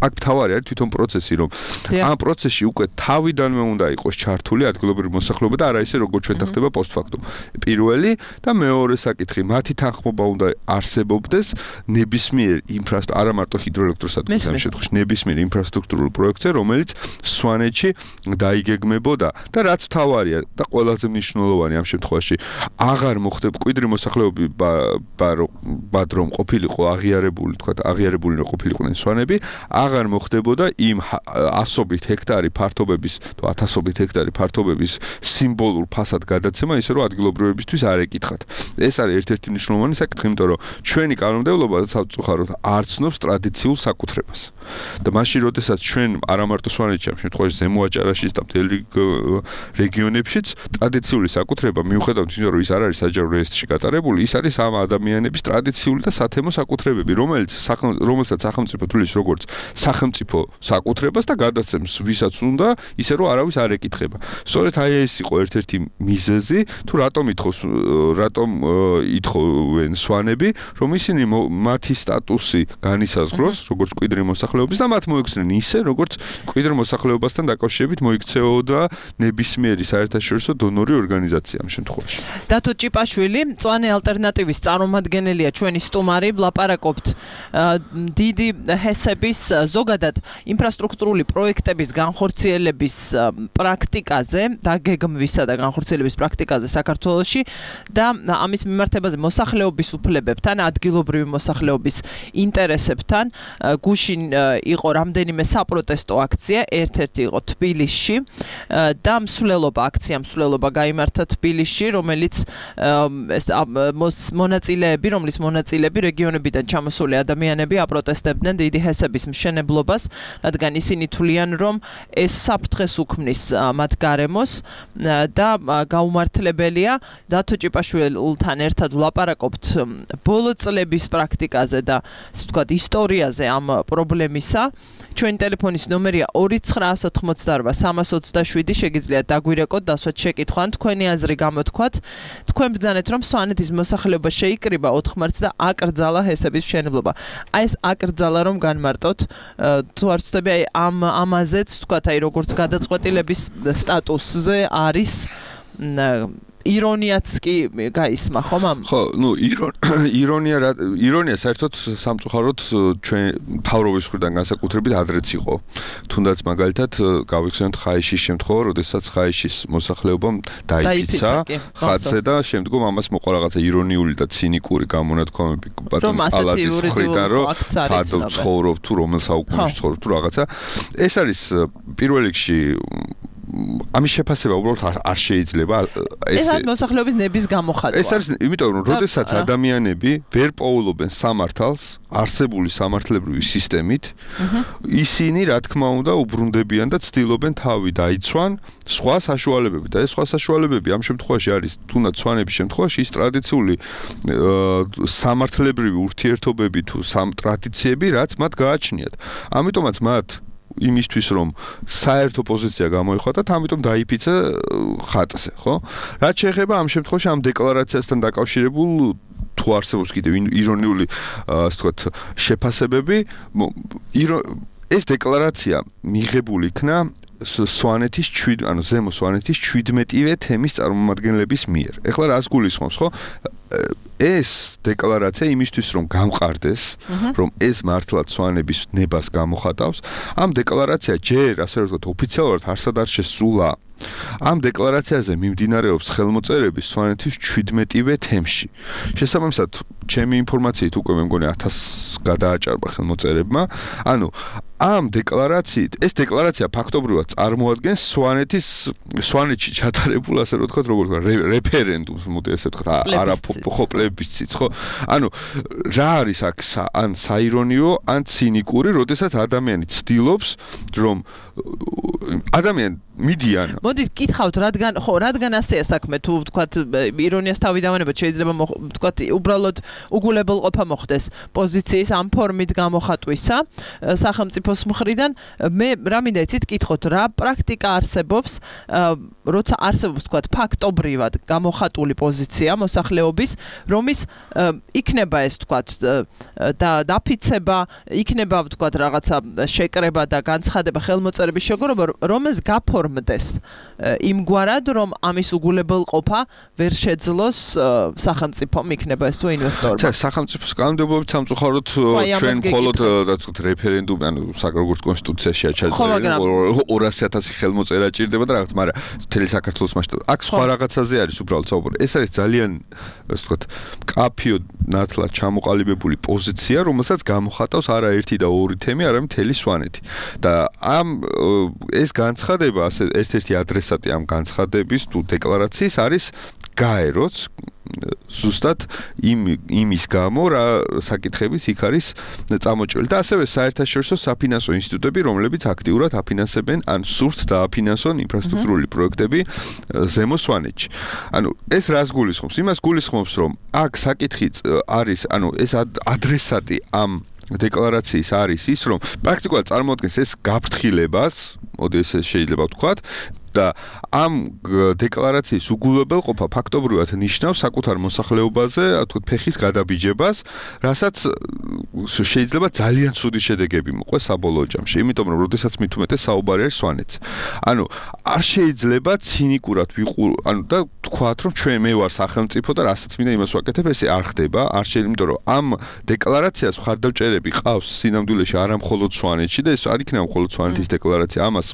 აქ თავარი არის თვითონ პროცესი, რომ ამ პროცესში უკვე თავიდანვე უნდა იყოს ჩართული ადგილობრივი მოსახლეობა და არა ისე როგორც ჩვენთან ხდება პოსტფაქტუმ. პირველი და მეორე საკითხი, მათი თანხმობა უნდა არსებობდეს ნებისმიერ ინფრასტრუქტურულ, არა მარტო ჰიდროელექტროსადგურის ამ შემთხვევაში, ნებისმიერ ინფრასტრუქტურულ პროექტზე, რომელიც სვანეთში დაიგეგმებოდა და რაც თავარია და ყველაზე მნიშვნელოვანი ამ შემთხვევაში, აღარ მოხდება მკვიდრი მოსახლეობა ბად რომ ყოფილიყო აღიარებული, თქვა აღიარებული რომ ყოფილიყვნენ სვანები, აღარ მოხდებოდა იმ ასობით ჰექტარი ფართობების თუ ათასობით ჰექტარი ფართობების სიმბოლურ ფასად გადაცემა, ისე რომ ადგილობრივებისთვის არ ეკითხათ. ეს არის ერთ-ერთი მნიშვნელოვანი საკითხი, იმიტომ რომ ჩვენი კანონმდებლობა სამწუხაროდ არ ცნობს ტრადიციულ საკუთრებას. და მაშინ, როდესაც ჩვენ არა მარტო სვანეთში, ამ შემთხვევაში ზემო აჭარაშიც და მთელ რეგიონებშიც ტრადიციული საკუთრება, მიუხედავად იმისა, რომ ის არ არის საჯარო რეესტრში გატარებული, ის არის ამ ადამიანების ტრადიციული და სათემო საკუთრებები, რომელიც რომელსაც სახელმწიფო თulis როგორც სახელმწიფო საკუთრებას და გადაცემს ვისაც უნდა, ისე რომ არავის არ ეკითხება. სწორედ აი ეს იყო ერთ-ერთი მიზეზი, თუ რატომ ითხოვს, რატომ ითხოვენ სვანები, რომ ისინი მათი სტატუსი განისაზღვროს, როგორც მკვიდრი მოსახლეობის და მათ მოიქცნენ ისე, როგორც მკვიდრ მოსახლეობასთან დაკავშირებით მოიქცეოდა ნებისმიერი საერთაშორისო დონორი ორგანიზაცია ამ შემთხვევაში. დათო ჭიპაშვილი, მწვანე ალტერნატივის წარმომადგენელია ჩვენი სტუმარი, ვლაპარაკობთ დიდი ჰესების ზოგადად ინფრასტრუქტურული პროექტების განხორციელების პრაქტიკაზე და გეგმვისა და განხორციელების პრაქტიკაზე საქართველოში და ამის მიმართებაზე მოსახლეობის უფლებებთან, ადგილობრივი მოსახლეობის ინტერესებთან. გუშინ იყო რამდენიმე საპროტესტო აქცია, ერთ-ერთი იყო თბილისში და მსვლელობა აქცია მსვლელობა გაიმართა თბილისში, რომელიც ეს მონაწილეები, რომლის მონაწილეები რეგიონებიდან ჩამოსული ადამიანები აპროტესტებდნენ დიდი ჰესების მშენებლობას მშენებლობას, რადგან ისინი თვლიან, რომ ეს საფრთხეს უქმნის მათ გარემოს და გაუმართლებელია. დათო ჭიპაშვილთან ერთად ვლაპარაკობთ ბოლო წლების პრაქტიკაზე და ასე ვთქვათ ისტორიაზე ამ პრობლემისა. ჩვენი ტელეფონის ნომერია ორი ცხრაას ოთხმოცდაორვა სამას ოცდაშვიდი. შეგიძლიათ დაგვირეკოთ, დასვათ შეკითხვა ან თქვენი აზრი გამოთქვათ. თქვენ ბრძანეთ, რომ სვანეთის მოსახლეობა შეიკრიბა ოთხ მარტს და აკრძალა ჰესების მშენებლობა. აი ეს აკრძალა რომ განმარტოთ, თუ არ ვცდები, აი ამ ამაზეც ვთქვათ, აი როგორც გადაწყვეტილების სტატუსზე არის ირონიაც კი გაისმა, ხომ ამ? ხო, ну, ირონია ირონია საერთოდ სამწუხაროდ ჩვენ თავრობის მხრიდან განსაკუთრებით ადრეც იყო. თუნდაც მაგალითად გავიხსენოთ ხაიშის შემთხვევა, როდესაც ხაიშის მოსახლეობამ დაიფიცა ხატზე და შემდგომ ამას მოყვა რაღაცა ირონიული და ცინიკური გამონათქვამები ბატონ ალაძის მხრიდან, რომ სად ცხოვრობ თუ რომელ საუკუნეში ცხოვრობ თუ რაღაცა. ეს არის პირველ რიგში ამის შეფასება უბრალოდ არ შეიძლება ეს არის მოსახლეობის ნების გამოხატვა. ეს არის იმიტომ რომ როდესაც ადამიანები ვერ პოულობენ სამართალს არსებული სამართლებრივი სისტემით, ისინი რა თქმა უნდა უბრუნდებიან და ცდილობენ თავი დაიცვან სხვა საშუალებები და ეს სხვა საშუალებები ამ შემთხვევაში არის თუნდაც სვანების შემთხვევაში ის ტრადიციული სამართლებრივი ურთიერთობები თუ ტრადიციები, რაც მათ გააჩნიათ. ამიტომაც მათ იმისთვის რომ საერთო პოზიცია გამოიხატათ, ამიტომ დაიფიცა ხატზე, ხო? რაც შეეხება ამ შემთხვევაში ამ დეკლარაციასთან დაკავშირებულ თუ არსებობს კიდევ ირონიული, ასე ვთქვათ, შეფასებები, ეს დეკლარაცია მიღებული იქნა სვანეთის შვიდ, ანუ ზემო სვანეთის შვიდმეტივე თემის წარმომადგენლების მიერ. ეხლა რას გულისხმობს, ხო? ეს დეკლარაცია იმისთვის რომ გამყარდეს, რომ ეს მართლაც სვანების ნებას გამოხატავს, ამ დეკლარაცია ჯერ ასე ვთქვათ ოფიციალურად არსად არ შესულა. ამ დეკლარაციაზე მიმდინარეობს ხელმოწერები სვანეთის შვიდმეტივე თემში. შესაბამისად, ჩემი ინფორმაციით უკვე მე მგონი ათასს გადააჭარბა ხელმოწერებმა. ანუ ამ დეკლარაციით, ეს დეკლარაცია ფაქტობრივად წარმოადგენს სვანეთის სვანეთში ჩატარებულ, ასე რომ ვთქვათ, როგორ ვთქვათ, რეფერენდუმს, მოდი ასე ვთქვათ, არაფო პლებისციტს, ხო? ანუ რა არის აქ ან საირონიო, ან ცინიკური, როდესაც ადამიანი ცდილობს, რომ ადამიანი მიდიან. მოდით გითხავთ, რადგან ხო, რადგან ასეა საქმე, თუ ვთქვათ, ირონიას თავი დავანებოთ, შეიძლება ვთქვათ, უბრალოდ უგულებელყოფა მოხდეს პოზიციის ამ ფორმით გამოხატვისა სახელმწიფოს მხრიდან. მე რა მინდა იცით გითხოთ, რა პრაქტიკა არსებობს, როცა არსებობს, ვთქვათ, ფაქტობრივად გამოხატული პოზიცია მოსახლეობის, რომის იქნება ეს, ვთქვათ, და დაფიცება, იქნება, ვთქვათ, რაღაცა შეკრება და განცხადება ხელმოწერების შეგროვება, რომ ეს გაფორმდეს იმგვარად, რომ ამის უგულებელყოფა ვერ შეძლოს სახელმწიფომ, იქნება ეს თუ ინვესტორმა. ცა სახელმწიფოს კანონმდებლობით სამწუხაროდ ჩვენ მხოლოდ რა ვთქვათ რეფერენდუმი, ანუ როგორც კონსტიტუციაში ჩაწერილი ორასი ათასი ხელმოწერა ჭირდება და რაღაც, მაგრამ მთელი საქართველოს მასშტაბით. აქ სხვა რაღაცაზე არის უბრალოდ საუბარი. ეს არის ძალიან, ასე ვთქვათ, კაფიო ნათლად ჩამოყალიბებული პოზიცია, რომელსაც გამოხატავს არა ერთი და ორი თემი, არამედ მთელი სვანეთი. და ამ ეს განცხადება, ასე ერთ-ერთი ადრესატი ამ განცხადების თუ დეკლარაციის არის გაეროც ზუსტად იმ იმის გამო რა საკითხების იქ არის წამოჭრილი და ასევე საერთაშორისო საფინანსო ინსტიტუტები, რომლებიც აქტიურად აფინანსებენ ან სურთ დააფინანსონ ინფრასტრუქტურული პროექტები ზემო სვანეთში. ანუ ეს რას გულისხმობს? იმას გულისხმობს, რომ აქ საკითხი არის, ანუ ეს ადრესატი ამ დეკლარაციის არის ის, რომ პრაქტიკულად წარმოადგენს ეს გაფრთხილებას, მოდი ესე შეიძლება ვთქვათ, და ამ დეკლარაციის უგულებელყოფა ფაქტობრივად ნიშნავს საკუთარ მოსახლეობაზე, თქო, ფეხის გადაბიჯებას, რასაც შეიძლება ძალიან ცუდი შედეგები მოყვეს საბოლოო ჯამში. იმიტომ რომ როდესაც მით უმეტეს საუბარი არის სვანეთზე. ანუ არ შეიძლება ცინიკურად ვიყურ, ანუ და თქვათ, რომ ჩვენ მე ვარ სახელმწიფო და რასაც მინდა იმას ვაკეთებ, ესე არ ხდება, არ შეიძლება, იმიტომ რომ ამ დეკლარაციას მხარდამჭერები ყავს სინამდვილეში არა მხოლოდ სვანეთში და ეს არ იქნება მხოლოდ სვანეთის დეკლარაცია, ამას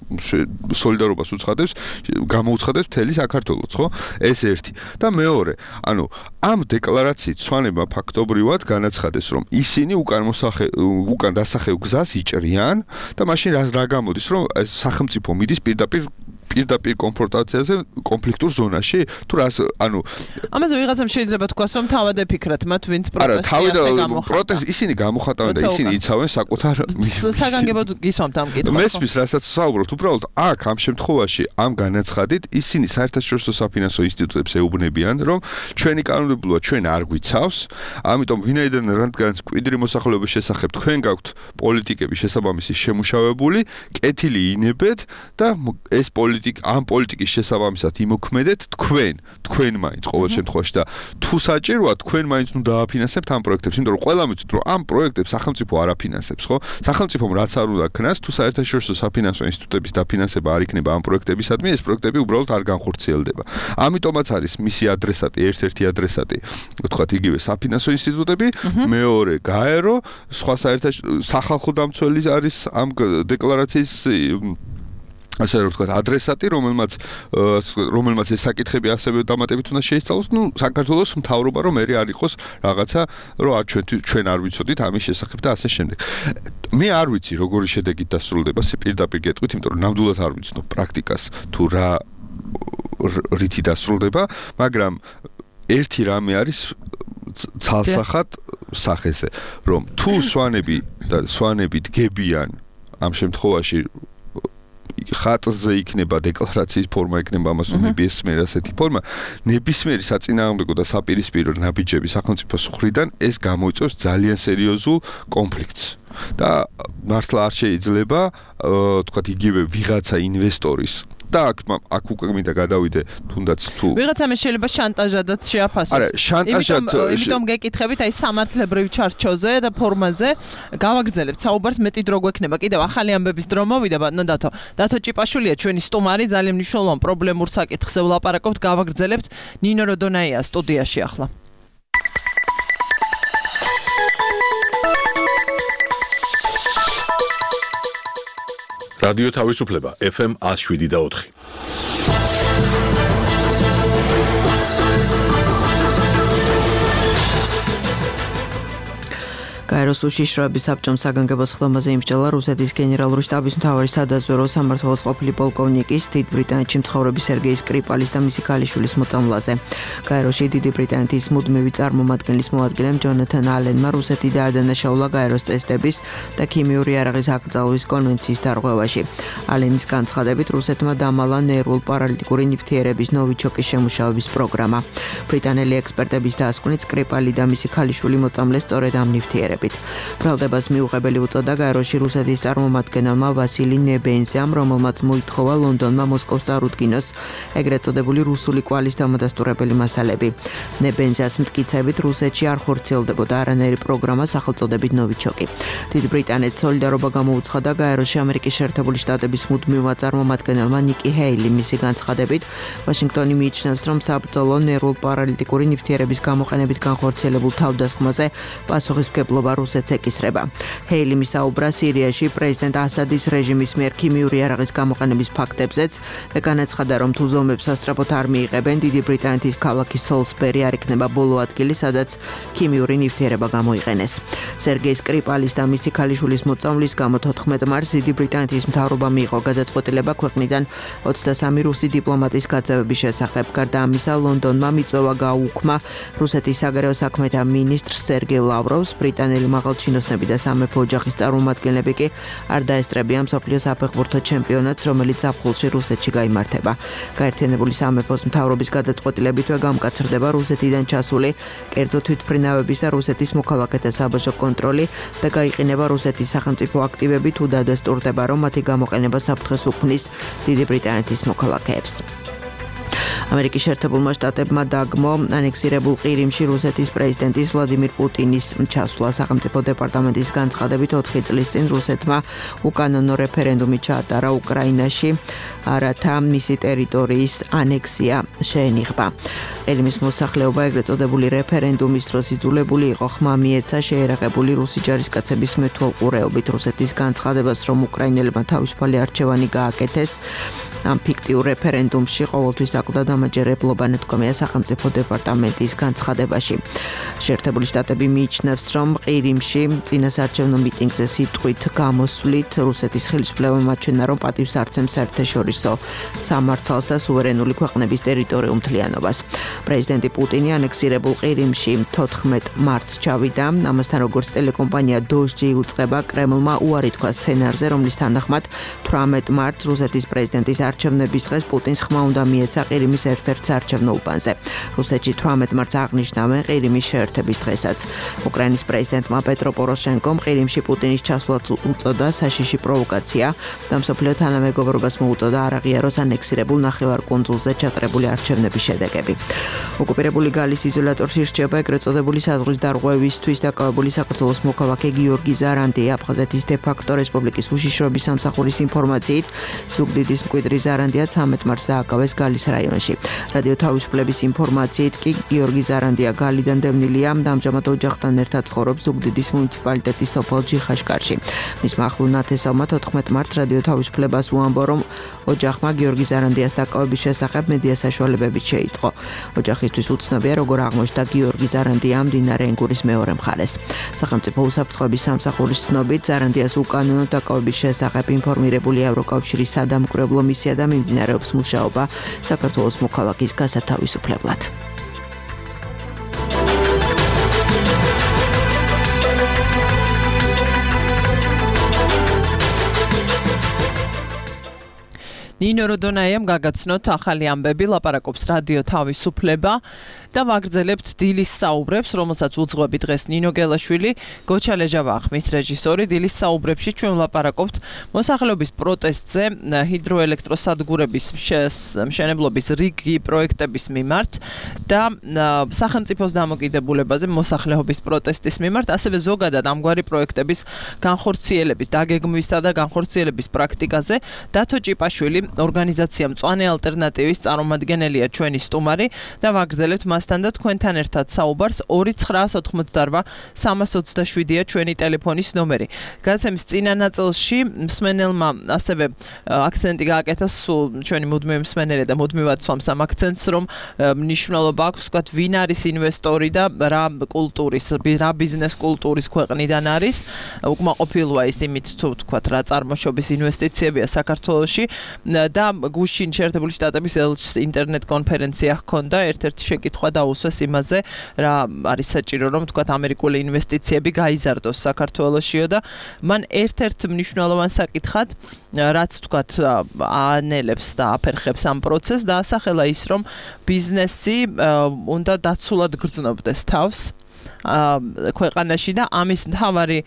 სოლიდარობას უცხადებს გამოუცხადებს მთელი საქართველოს, ხო? ეს ერთი. და მეორე, ანუ ამ დეკლარაციით სვანებმა ფაქტობრივად განაცხადეს, რომ ისინი უკან მოსახე უკან დასახევ გზას იჭრიან და მაშინ რა რა გამოდის, რომ ეს სახელმწიფო მიდის პირდაპირ პირდაპირ კონფრონტაციაზე, კონფლიქტურ ზონაში, თუ რას, ანუ ამაზე ვიღაცამ შეიძლება თქვას, რომ თავად ეფიქრათ მათ, ვინც პროტესტი გამოხატა. პროტესტი ისინი გამოხატავენ და ისინი იცავენ საკუთარ საგანგებოდ გისვამთ ამ კითხვას. მესმის, რასაც საუბრობთ, უბრალოდ აქ ამ შემთხვევაში ამ განაცხადით ისინი საერთაშორისო საფინანსო ინსტიტუტებს ეუბნებიან, რომ ჩვენი კანონმდებლობა ჩვენ არ გვიცავს, ამიტომ ვინაიდან რადგან მკვიდრი მოსახლეობის შესახებ თქვენ გაქვთ პოლიტიკები შესაბამისი შემუშავებული, კეთილი ინებეთ და ეს პოლიტიკა ამ პოლიტიკის შესაბამისად იმოქმედეთ თქვენ, თქვენ მაინც ყოველ შემთხვევაში და თუ საჭიროა თქვენ მაინც ნუ დააფინანსებთ ამ პროექტებს, იმიტომ რომ ყველა ვიცით რომ ამ პროექტებს სახელმწიფო არ აფინანსებს, ხო? სახელმწიფომ რაც არ უნდა ქნას, თუ საერთაშორისო საფინანსო ინსტიტუტების დაფინანსება არ იქნება ამ პროექტებისადმი, ეს პროექტები უბრალოდ არ განხორციელდება. ამიტომაც არის მისი ადრესატი, ერთ-ერთი ადრესატი, ვთქვათ, იგივე საფინანსო ინსტიტუტები, მეორე გაერო, სხვა საერთაშორისო სახალხო დამცველი არის ამ დეკლარაციის ასე რომ ვთქვათ, ადრესატი, რომელმაც რომელმაც ეს საკითხები ასევე დამატებით უნდა შეისწავლოს, ну, საქართველოს მთავრობა რომ ერი არ იყოს რაღაცა, რომ არ ჩვენ ჩვენ არ ვიცოდით ამის შესახებ და ასე შემდეგ. მე არ ვიცი, როგორი შედეგით დასრულდება, პირდაპირ გეტყვით, იმიტომ რომ ნამდვილად არ ვიცნობ პრაქტიკას თუ რა რითი დასრულდება, მაგრამ ერთი რამე არის ცალსახად სახეზე, რომ თუ სვანები და სვანები დგებიან ამ შემთხვევაში ხატზე იქნება დეკლარაციის ფორმა, იქნება ამას ნებისმიერ ასეთი ფორმა, ნებისმიერი საწინააღმდეგო და საპირისპირო ნაბიჯები სახელმწიფოს მხრიდან ეს გამოიწვევს ძალიან სერიოზულ კონფლიქტს. და მართლა არ შეიძლება, თქვათ, იგივე ვიღაცა ინვესტორის და აქ აქ უკვე მინდა გადავიდე თუნდაც თუ ვიღაცამ შეიძლება შანტაჟადაც შეაფასოს. არა, შანტაჟად იმიტომ გეკითხებით აი სამართლებრივ ჩარჩოზე და ფორმაზე გავაგრძელებთ საუბარს, მეტი დრო გვექნება. კიდევ ახალი ამბების დრო მოვიდა, ბატონო დათო. დათო ჭიპაშვილია ჩვენი სტუმარი, ძალიან მნიშვნელოვან პრობლემურ საკითხზე ვლაპარაკობთ, გავაგრძელებთ. ნინო როდონაია სტუდიაში ახლა. რადიო თავისუფლება ეფ ემ one oh seven და four. გაეროს უშიშროების საბჭომ საგანგებოს ხდომაზე იმსჯელა რუსეთის გენერალური შტაბის მთავარი სადაზვერო სამმართველოს ყოფილი პოლკოვნიკის დიდ ბრიტანეთში მცხოვრები სერგეი სკრიპალის და მისი ქალიშვილის მოწამვლაზე. გაეროში დიდი ბრიტანეთის მუდმივი წარმომადგენლის მოადგილემ ჯონათან ალენმა რუსეთი დაადანაშაულა გაეროს წესდების და ქიმიური იარაღის აკრძალვის კონვენციის დარღვევაში. ალენის განცხადებით რუსეთმა დამალა ნერვულ პარალიტიკური ნივთიერების ნოვიჩოკის შემუშავების პროგრამა. ბრიტანელი ექსპერტების დასკვნით სკრიპალი და მისი ქალიშვილი მოწამლეს სწორედ ამ ნივთიერებებით. ბრალდებას მიუღებელი უწოდა გაეროში რუსეთის წარმომადგენელმა ვასილი ნებენზიამ, რომელმაც მოითხოვა ლონდონმა მოსკოვს წარუდგინოს ეგრეთ წოდებული რუსული კვალის დამადასტურებელი მასალები. ნებენზიას მტკიცებით რუსეთში არ ხორციელდებოდა არანაირი პროგრამა სახელწოდებით ნოვიჩოკი. დიდ ბრიტანეთს სოლიდარობა გამოუცხადა გაეროში ამერიკის შეერთებული შტატების მუდმივმა წარმომადგენელმა ნიკი ჰეილი. მისი განცხადებით ვაშინგტონი მიიჩნევს, რომ საბრძოლო ნერვულ პარალიტიკური ნივთიერების გამოყენებით განხორციელებულ თავდასხმაზე პასუხისმგებლობა რუსეთს ეკისრება. ჰეილი მისაუბრა სირიაში პრეზიდენტ ასადის რეჟიმის მიერ ქიმიური იარაღის გამოყენების ფაქტებზეც და განაცხადა, რომ თუ ზომებს სასწრაფოდ არ მიიღებენ, დიდი ბრიტანეთის ქალაქი სოლსბერი არ იქნება ბოლო ადგილი, სადაც ქიმიური ნივთიერება გამოიყენეს. სერგეი სკრიპალის და მისი ქალიშვილის მოწამვლის გამო თოთხმეტ მარტს დიდი ბრიტანეთის მთავრობა მიიღო გადაწყვეტილება ქვეყნიდან ოცდასამი რუსი დიპლომატის გაძევების შესახებ. გარდა ამისა, ლონდონმა მიწვევა გააუქმა რუსეთის საგარეო საქმეთა მინისტრს სერგეი ლავროვს. ბრიტანელი მაღალჩინოსნები და სამეფო ოჯახის წარმომადგენლები კი არ დაესწრებიან მსოფლიოს საფეხბურთო ჩემპიონატს, რომელიც ზაფხულში რუსეთში გაიმართება. გაერთიანებული სამეფოს მთავრობის გადაწყვეტილებითვე გამკაცრდება რუსეთიდან ჩასული კერძო თვითმფრინავების და რუსეთის მოქალაქეთა საბაჟო კონტროლი და გაიყინება რუსეთის სახელმწიფო აქტივები, თუ დადასტურდება, რომ მათი გამოყენება საფრთხეს უქმნის დიდი ბრიტანეთის მოქალაქეებს. ამერიკის შეერთებულმა შტატებმა დაგმო ანექსირებულ ყირიმში რუსეთის პრეზიდენტის ვლადიმირ პუტინის ჩასვლა. სახელმწიფო დეპარტამენტის განცხადებით ოთხი წლის წინ რუსეთმა უკანონო რეფერენდუმი ჩაატარა უკრაინაში, რათა მისი ტერიტორიის ანექსია შეენიღბა. ყირიმის მოსახლეობა ეგრეთ წოდებული რეფერენდუმის დროს იძულებული იყო ხმა მიეცა შეერაღებული რუსი ჯარისკაცების მეთვალყურეობით. რუსეთის განცხადებას, რომ უკრაინელებმა თავისუფალი არჩევანი გააკეთეს ამ ფიქტიურ რეფერენდუმში, ყოველთვის აკლდა დამაჯერებლობა, ნათქვამია სახელმწიფო დეპარტამენტის განცხადებაში. შეერთებული შტატები მიიჩნევს, რომ ყირიმში წინასაარჩევნო მიტინგზე სიტყვით გამოსვლით რუსეთის ხელისუფლებამ აჩვენა, რომ პატივს არცემს საერთაშორისო სამართალს და სუვერენული ქვეყნების ტერიტორიულ მთლიანობას. პრეზიდენტი პუტინი ანექსირებულ ყირიმში თოთხმეტ მარტს ჩავიდა. ამასთან როგორც ტელეკომპანია დოჟჯი უწყება, კრემლმა უარი თქვა სცენარზე, რომლის თანახმად თვრამეტ მარტს რუსეთის პრეზიდენტის არჩევნების დღეს პუტინს ხმა უნდა მიეცა ყირიმის ერთ-ერთ საარჩევნო უბანზე. რუსეთში თვრამეტ მარტს აღნიშნავენ ყირიმის შეერთების დღესაც. უკრაინის პრეზიდენტმა პეტრო პოროშენკომ ყირიმში პუტინის ჩასვლაც უწოდა საშიში პროვოკაცია და მსოფლიო თანამეგობრობას მოუწოდა არ აღიაროს ანექსირებულ ნახევარკუნძულზე ჩატარებული არჩევნების შედეგები. ოკუპირებული გალის იზოლატორში რჩება ეგრეთ წოდებული საზღვრის დარღვევისთვის დაკავებული საქართველოს მოქალაქე გიორგი ზარანდი. აფხაზეთის დე-ფაქტო რესპუბლიკის უშიშროების სამსახურის ინფორმაციით ზუგდიდის მკვიდრი ზარანდია ცამეტ მარტს დააკავეს გალის რაიონში. რადიო თავისუფლების ინფორმაციით კი გიორგი ზარანდია გალიდან დევნილია და ამჟამად ოჯახთან ერთად ცხოვრობს ზუგდიდის მუნიციპალიტეტის სოფელ ჯიხაშკარში. მისმა ახლო ნათესავმა თოთხმეტ მარტს რადიო თავისუფლებას უამბო, რომ ოჯახმა გიორგი ზარანდიას დაკავების შესახებ მედია საშუალებებით შეიტყო. ოჯახისთვის უცნობია, როგორ აღმოჩნდა გიორგი ზარანდია მდინარე ენგურის მეორე მხარეს. სახელმწიფო უსაფრთხოების სამსახურის ცნობით ზარანდიას უკანონო დაკავების შესახებ ინფორმირებული ევროკავშირის სადამკვირვებლო მისია და მიმდინარეობს მუშაობა საქართველოს მოქალაქის გასათავისუფლებლად. ნინო როდონაიამ გაგაცნოთ ახალი ამბები, ლაპარაკობს რადიო თავისუფლება და ვაგრძელებთ დილის საუბრებს, რომელსაც უძღვები დღეს ნინო გელაშვილი, გოჩალეჟავა ხმის რეჟისორი. დილის საუბრებში ჩვენ ვლაპარაკობთ მოსახლეობის პროტესტზე ჰიდროელექტროსადგურების მშენებლობის რიგი პროექტების მიმართ და სახელმწიფოს დამოკიდებულებაზე მოსახლეობის პროტესტის მიმართ, ასევე ზოგადად ამგვარი პროექტების განხორციელების, დაგეგმვისა და განხორციელების პრაქტიკაზე. დათო ჭიპაშვილი ორგანიზაცია მწვანე ალტერნატივის წარმომადგენელია ჩვენი სტუმარი და ვაგრძელებთ მასთან და თქვენთან ერთად საუბარს. ორი ცხრაას ოთხმოცდარბა სამას ოცდაშვიდია ჩვენი ტელეფონის ნომერი. გადაცემის წინა ნაწილში მსმენელმა ასევე აქცენტი გააკეთა, სულ ჩვენი მუდმივი მსმენელი და მუდმივად swams ამ აქცენტს, რომ მნიშვნელობა აქვს ვთქვათ ვინ არის ინვესტორი და რა კულტურის, რა ბიზნეს კულტურის ქვეყნიდან არის. უკმაყოფილოა ის იმით თუ ვთქვათ რა წარმოშობის ინვესტიციებია საქართველოში. და გუშინ შეერთებული შტატების ელჩის ინტერნეტ კონფერენცია ჰქონდა, ერთ-ერთი შეკითხვა დაუსვეს იმაზე, რა არის საჭირო, რომ თქვათ ამერიკული ინვესტიციები გაიზარდოს საქართველოშიო და მან ერთ-ერთ მნიშვნელოვან საკითხად, რაც თქვათ აანელებს და აფერხებს ამ პროცესს, დაასახელა ის, რომ ბიზნესი უნდა დაცულად გრძნობდეს თავს ქვეყანაში და ამის მთავარი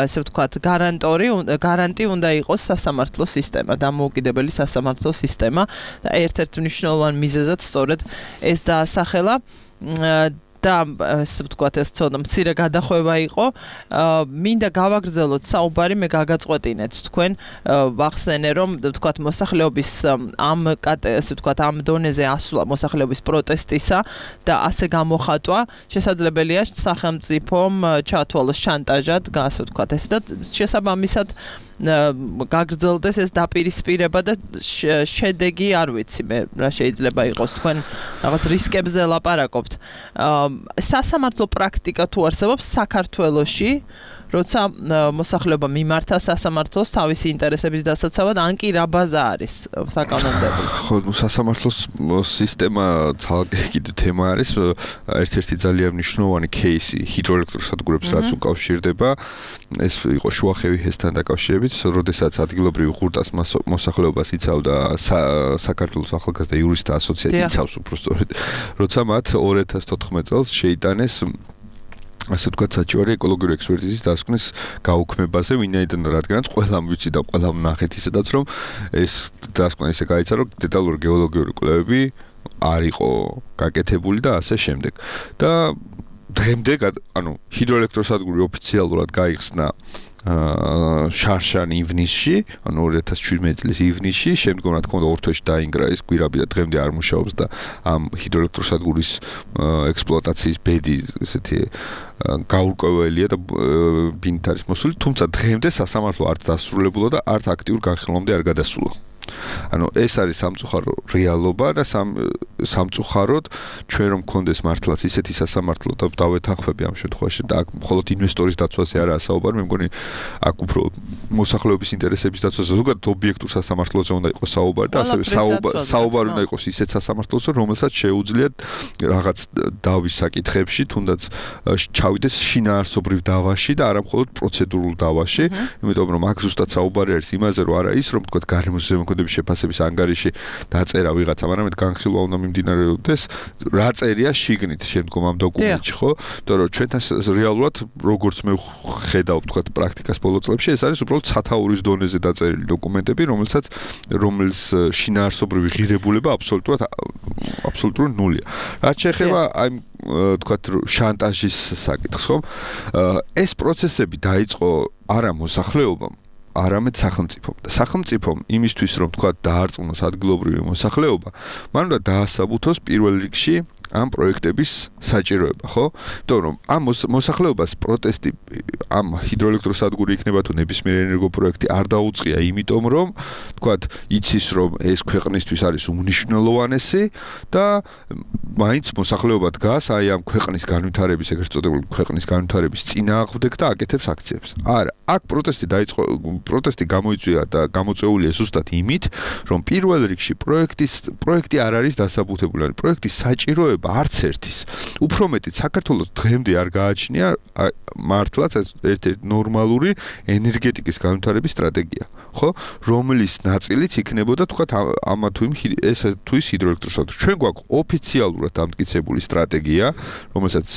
ასე ვთქვათ გარანტორი გარანტი უნდა იყოს სასამართლო სისტემა, დამოუკიდებელი სასამართლო სისტემა და ერთ-ერთ მნიშვნელოვან მიზეზად სწორედ ეს დაასახელა და ასე ვთქვათ ეს ცოტა მცირე გადახვევა იყო. მინდა გავაგრძელოთ საუბარი, მე გაგაწყვეტინეთ თქვენ, ვახსენე რომ ვთქვათ მოსახლეობის ამ ასე ვთქვათ ამ დონეზე ასვლა მოსახლეობის პროტესტისა და ასე გამოხატვა შესაძლებელია სახელმწიფომ ჩათვალოს შანტაჟად, ასე ვთქვათ ეს და შესაბამისად გაგრძელდეს ეს დაპირისპირება და შედეგი არ ვიცი მე რა შეიძლება იყოს. თქვენ რაღაც რისკებზე ლაპარაკობთ. სასამართლო პრაქტიკა თუ არსებობს საქართველოში, როცა მოსახლეობა მიმართა სასამართლოს თავისი ინტერესების დასაცავად, ან კი რა ბაზა არის საკანონმდებლო? ხო, სასამართლოს სისტემა ცალკე კიდე თემა არის. ერთ-ერთი ძალიან მნიშვნელოვანი кейსი ჰიდროელექტროსადგურებს რაც უკავშირდება, ეს იყო შუახევი ჰესთან დაკავშირებით, როდესაც ადგილობრივი ღურტას მოსახლეობას იცავდა საქართველოს ახალგაზრდა იურისტთა ასოციაცია, იცავს უბრალოდ, როცა მათ ორ ათას თოთხმეტ წელს შეიტანეს ასე ვთქვათ საჭირო ეკოლოგიური ექსპერტიზის დასკვნის გაუქმებაზე, ვინაიდან რადგანაც ყველამ ვიცი და ყველამ ნახეთ ისედაც, რომ ეს დასკვნა ისე გაიცა, რომ დეტალური გეოლოგიური კვლევები არ იყო გაკეთებული და ასე შემდეგ. და დღემდე, ანუ ჰიდროელექტროსადგური ოფიციალურად გაიხსნა შარშან ივნისში, ანუ ორი ათას შვიდმეტი წლის ივნისში, შემდგომ რა თქმა უნდა ორ თვეში დაინგრა ეს კვირაბი და დღემდე არ მუშაობს და ამ ჰიდროელექტროსადგურის ექსპლუატაციის ბედი ესეთი გაურკვეველია და ბინით არის მოსული, თუმცა დღემდე სასამართლო არც დასრულებულა და არც აქტიურ განხილვამდე არ გადასულა. ანუ ეს არის სამწუხარო რეალობა და სამწუხაროდ ჩვენ რომ გქონდეს მართლაც ისეთი სასამართლო და დავეთანხმები ამ შემთხვევაში და აქ მხოლოდ ინვესტორის დაცვაზე არაა საუბარი, მე მგონი აქ უფრო მოსახლეობის ინტერესების დაცვაზე ზოგადად ობიექტურ სასამართლოზე უნდა იყოს საუბარი და ასევე საუბარი უნდა იყოს ისეთ სასამართლოზე, რომელსაც შეუძლიათ რაღაც დავის საკითხებში თუნდაც ჩავიდეს შინაარსობრივ დავაში და არა მხოლოდ პროცედურულ დავაში, იმიტომ რომ აქ ზუსტად საუბარი არის იმაზე, რომ არა ის რომ თქვა გარემოს ზემოქმედების შეფასების ანგარიში დაწერა ვიღაცამ, არამედ განხილვა უნდა მიმდინარეობდეს რა წერია შიგნით შემდგომ ამ დოკუმენტში, ხო? იმიტომ რომ ჩვენთან რეალურად როგორც მე ხედავ თქვა პრაქტიკას ბოლო წლებში, ეს არის უბრალოდ სათაურის დონეზე დაწერილი დოკუმენტები, რომელსაც რომლის შინაარსობრივი ღირებულება აბსოლუტურად აბსოლუტურად ნულია. რაც შეეხება აი თქვა შანტაჟის საკითხს, ხო? ეს პროცესები დაიწყო არა მოსახლეობამ, არამედ სახელმწიფომ. და სახელმწიფომ იმისთვის რომ თქვა დაარწმუნოს ადგილობრივი მოსახლეობა, მან უნდა დაასაბუთოს პირველ რიგში ამ პროექტების საჭიროება, ხო? იმიტომ რომ ამ მოსახლეობას პროტესტი ამ ჰიდროელექტროსადგური იქნება თუ ნებისმიერ ენერგოპროექტი არ დაუწყია, იმიტომ რომ თქვათ იცის რომ ეს ქვეყნისთვის არის უმნიშვნელოვანესი და მაინც მოსახლეობა დგას აი ამ ქვეყნის განვითარების, ეგრეთ წოდებული ქვეყნის განვითარების წინააღმდეგ და აკეთებს აქციებს. არა, აქ პროტესტი დაიწყო, პროტესტი გამოიწვია და გამოწვეულია ზუსტად იმით, რომ პირველ რიგში პროექტის პროექტი არ არის დასაბუთებული, ან პროექტის საჭიროება არც ერთის. უფრო მეტიც საქართველოს დღემდე არ გააჩნია მართლაც ეს ერთ-ერთი ნორმალური ენერგეტიკის განვითარების სტრატეგია, ხო? რომლის ნაწილიც იქნებოდა თქვა ამა თუ იმ ეს თუ ის ჰიდროელექტროსადგური. ჩვენ გვაქვს ოფიციალურად დამტკიცებული სტრატეგია, რომელსაც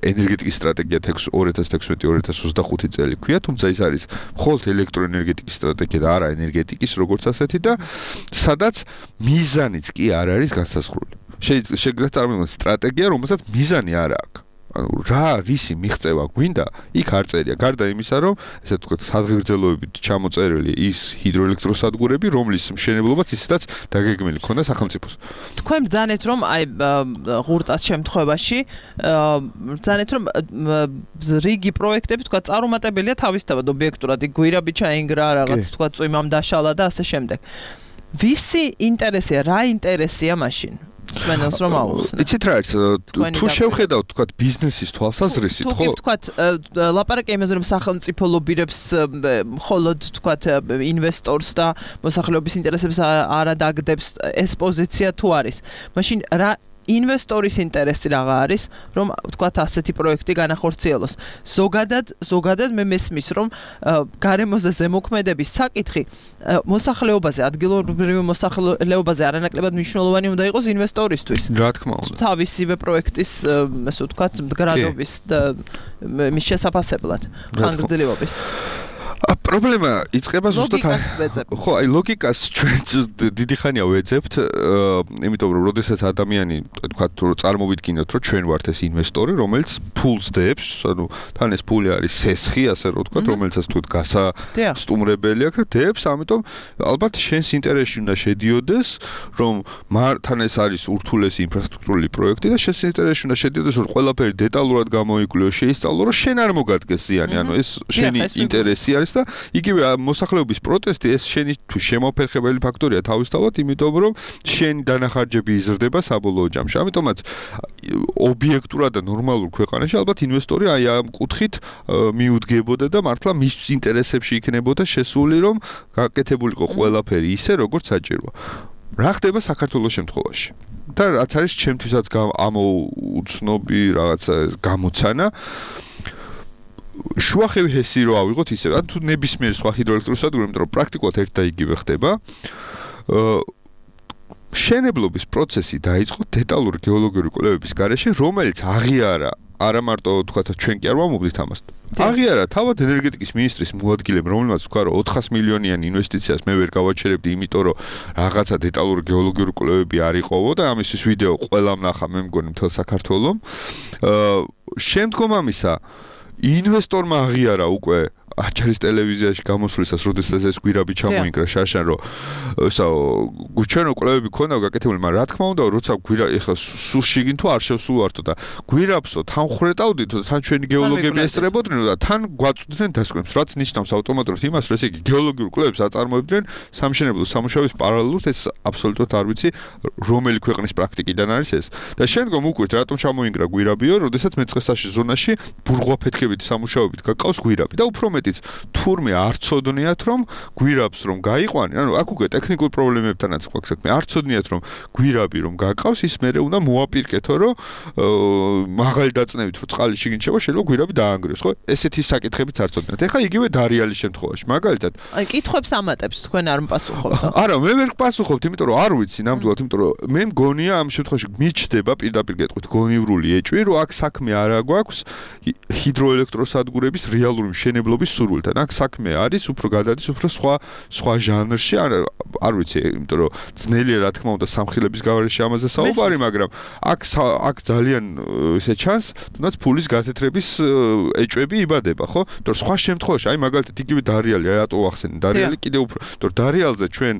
ენერგეტიკის სტრატეგია ორი ათას თექვსმეტი ორი ათას ოცდახუთი წელი ქვია, თუმცა ის არის მხოლოდ ელექტროენერგეტიკის სტრატეგია და არა ენერგეტიკის როგორც ასეთი და სადაც მიზანიც კი არ არის განსაზღვრული. შეიძლება წარმოვიდგინოთ სტრატეგია, რომელსაც მიზანი არ აქვს. ანუ რა რისი მიღწევა გვინდა, იქ არ წერია. გარდა იმისა, რომ ესე ვთქვათ, სადღეგრძელოებით ჩამოწერილი ის ჰიდროელექტროსადგურები, რომლის მშენებლობაც ისედაც დაგეგმილი ქონდა სახელმწიფოს. თქვენ ბრძანეთ, რომ აი ღურტას შემთხვევაში ბრძანეთ, რომ რიგი პროექტები თქვა წარუმატებელია თავისთავად ობიექტურად, გვირაბი ჩაინგრა, რაღაც თქვა წვიმამ დაშალა და ასე შემდეგ. ვისი ინტერესია, რა ინტერესია მაშინ? სმენელს რომ აუხსნა. იცით რა არის, თუ შევხედავთ თქვა ბიზნესის თვალსაზრისით, ხო? თუ თქვა ლაპარაკი იმაზე რომ სახელმწიფო ლობირებს მხოლოდ თქვა ინვესტორს და მოსახლეობის ინტერესებს არ ადაგდებს, ეს პოზიცია თუ არის. მაშინ რა ინვესტორის ინტერესი რაღა არის, რომ ვთქვათ ასეთი პროექტი განახორციელოს. ზოგადად, ზოგადად მე მესმის, რომ გარემოზე ზემოქმედების საკითხი მოსახლეობაზე, ადგილობრივ მოსახლეობაზე არანაკლებად მნიშვნელოვანი უნდა იყოს ინვესტორისთვის. რა თქმა უნდა. თავისივე პროექტის, ასე ვთქვათ, მდგრადობის და მის შესაფასებლად, ხანგრძლივობის. პრობლემა იწყება ზუსტად ხო, აი ლოგიკას ჩვენ დიდი ხანია ვეძებთ, იმიტომ რომ როდესაც ადამიანი თქვა თუ წარმოვიდგინოთ, რომ ჩვენ ვართ ეს ინვესტორი, რომელიც ფულს დებს, ანუ თან ეს ფული არის სესხი, ასე რომ ვთქვათ, რომელიცაც თუ გასასტუმრებელი აქვს და დებს, ამიტომ ალბათ შენს ინტერესში უნდა შედიოდეს, რომ თან ეს არის ურთულესი ინფრასტრუქტურული პროექტი და შენს ინტერესში უნდა შედიოდეს, რომ ყველაფერი დეტალურად გამოიკვლიო, შეისწავლო, რომ შენ არ მოგადგეს ზიანი, ანუ ეს შენი ინტერესი არის და იგივე მოსახლეობის პროტესტი ეს შენი თუ შემოფერხებელი ფაქტორია თავისთავად, იმიტომ რომ შენი დანახარჯები იზრდება საბოლოო ჯამში. ამიტომაც ობიექტურად და ნორმალურ ქვეყანაში ალბათ ინვესტორი აი ამ კუთხით მიუდგებოდა და მართლა მის ინტერესებში იქნებოდა შესული, რომ გაკეთებულიყო ყველაფერი ისე, როგორც საჭიროა. რა ხდება საქართველოს შემთხვევაში? და რაც არის ჩემთვისაც ამოუცნობი რაღაცა გამოცანა შუახევი ჰესი რო ავიღოთ ისე, ან თუ ნებისმიერ სხვა ჰიდროელექტროსადგური, იმიტომ რომ პრაქტიკულად ერთ და იგივე ხდება. შენებლობის პროცესი დაიწყო დეტალური გეოლოგიური კვლევების გარეშე, რომელიც აღიარა არა მარტო თქვათ ჩვენ კი არ ვამობდით ამას. აღიარა თავად ენერგეტიკის მინისტრის მოადგილემ, რომელმაც თქვა რომ ოთხას მილიონიან ინვესტიციას მე ვერ გავაჩერებდი, იმიტომ რომ რაღაცა დეტალური გეოლოგიური კვლევები არ იყოვო და ამისთვის ვიდეო ყველამ ნახა, მე მგონი მთელ საქართველოს. შემდგომ ამისა ინვესტორმა აღიარა უკვე აჭარის ტელევიზიაში გამოსვლისას, როდესაც ეს გვირაბი ჩამოინგრა შაშან, რომ ესა ჩვენ კვლევები ქონდა გაკეთებული, მაგრამ რა თქმა უნდა, როცა გვირა ეხლა სულ შიგნით თუ არ შევსულვართო და გვირაბსო თან ხრეტავდით და თან ჩვენი გეოლოგები ესწრებოდნენ და თან გვაწვდნენ დასკვნებს, რაც ნიშნავს ავტომატურად იმას, რომ ესე იგი გეოლოგიურ კვლევებს აწარმოებდნენ სამშენებლო სამუშაოების პარალელურად, ეს აბსოლუტურად არ ვიცი, რომელი ქვეყნის პრაქტიკიდან არის ეს. და შემდგომ უკვეთ რატომ ჩამოინგრა გვირაბიო, როდესაც მეწყესაში ზონაში ბურღვაფეთქებით სამუშაოებით გაკავს გვირაბი და უფრო მეტიც თურმე არ ცოდნიათ რომ გვირაბს რომ გაიყვანენ, ანუ აქ უკვე ტექნიკურ პრობლემებთანაც გვაქვს საქმე, არ ცოდნიათ რომ გვირაბი რომ გაკავს, ის მერე უნდა მოაპირკეთო, რომ მაღალი დაწნევით რომ წყალი შიგნით შევა, შეიძლება გვირაბი დაანგრიოს, ხო? ესეთი საკითხებიც არ ცოდნიათ. ეხლა იგივე დარიალის შემთხვევაში, მაგალითად. აი, კითხვებს ამატებს თქვენ არ მპასუხობთ. არა, მე ვერ გპასუხობთ, იმიტომ რომ არ ვიცი ნამდვილად, იმიტომ რომ მე მგონია ამ შემთხვევაში მიჩდება პირდაპირ გეტყვით გონივრული ეჭვი, რომ აქ საქმე არა გვაქვს ჰიდროელექტროსადგურების რეალური მშენებლობის სურვილთან. აქ საქმე არის უფრო გადადის უფრო სხვა სხვა ჟანრში, არ არ ვიცი, იმიტომ რომ ძნელია რა თქმა უნდა სამხილების გავარეში ამაზე საუბარი, მაგრამ აქ აქ ძალიან ესე ჩანს, თუნდაც ფულის გათეთრების ეჭვები იბადება, ხო? იმიტომ რომ სხვა შემთხვევაში, აი მაგალითად იგივე დარიალი, რატო ვახსენე? დარიალი კიდევ უფრო, იმიტომ რომ დარიალზე ჩვენ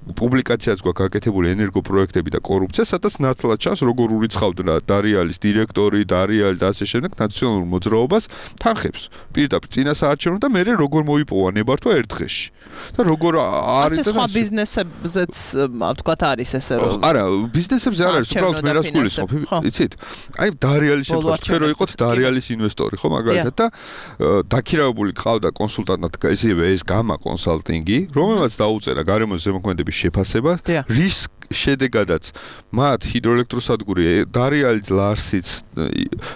პუბლიკაციაც გვაქვს გაკეთებული ენერგოპროექტები და კორუფცია, სადაც ნათლად ჩანს როგორ ურიცხავდნენ დარიალის დირექტორი, დარიალი და ასე შემდეგ ნაციონალურ მოძრაობას თანხებს. პირდაპირ წინასაარჩევნო და მერე როგორ მოიპოვა ნებართვა ერთ დღეში. და როგორ არის ეს სხვა ბიზნესებზეც ვთქვათ არის ესე რომ არა, ბიზნესებზე არ არის, უბრალოდ მე რას გულისხმობ, იცით? აი დარიალის შემთხვევაში თქვენ რო იყოთ დარიალის ინვესტორი, ხო, მაგალითად და დაქირავებული ყავდა კონსულტანტად ისევე ეს გამა კონსალტინგი, რომელმაც დაუწერა გარემოს ზემოქმედების შეფასება, რის შედეგადაც მათ ჰიდროელექტროსადგური დარიალის ლარსიც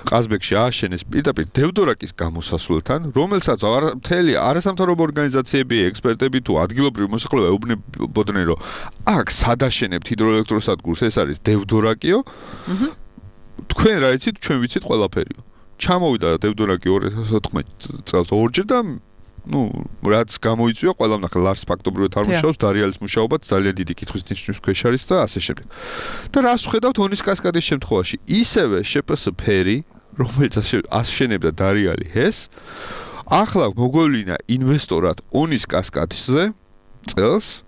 ყაზბეგში ააშენეს პირდაპირ დევდორაკის გამოსასვლელთან, რომელსაც მთელი არასამთავრობო ორგანიზაციები, ექსპერტები თუ ადგილობრივი მოსახლეობა ეუბნებოდნენ, რომ აქ სადაშენებთ ჰიდროელექტროსადგურს, ეს არის დევდორაკიო. თქვენ რა იცით, ჩვენ ვიცით ყველაფერიო. ჩამოვიდა დევდორაკი ორი ათას ოთხმეტი წელს ორჯერ და ну, რაც გამოიწვია, ყველამ ნახე ლარს ფაქტობრივად არ მუშაობს, დარიალის მუშაობაც ძალიან დიდი კითხვის ნიშნის ქვეშ არის და ასე შემდეგ. და რას ვხედავთ ონის კასკადის შემთხვევაში? ისევე შპს ფერი, რომელიც აშენებდა დარიალი ჰეს, ახლა მოგვევლინა ინვესტორად ონის კასკადზე წელს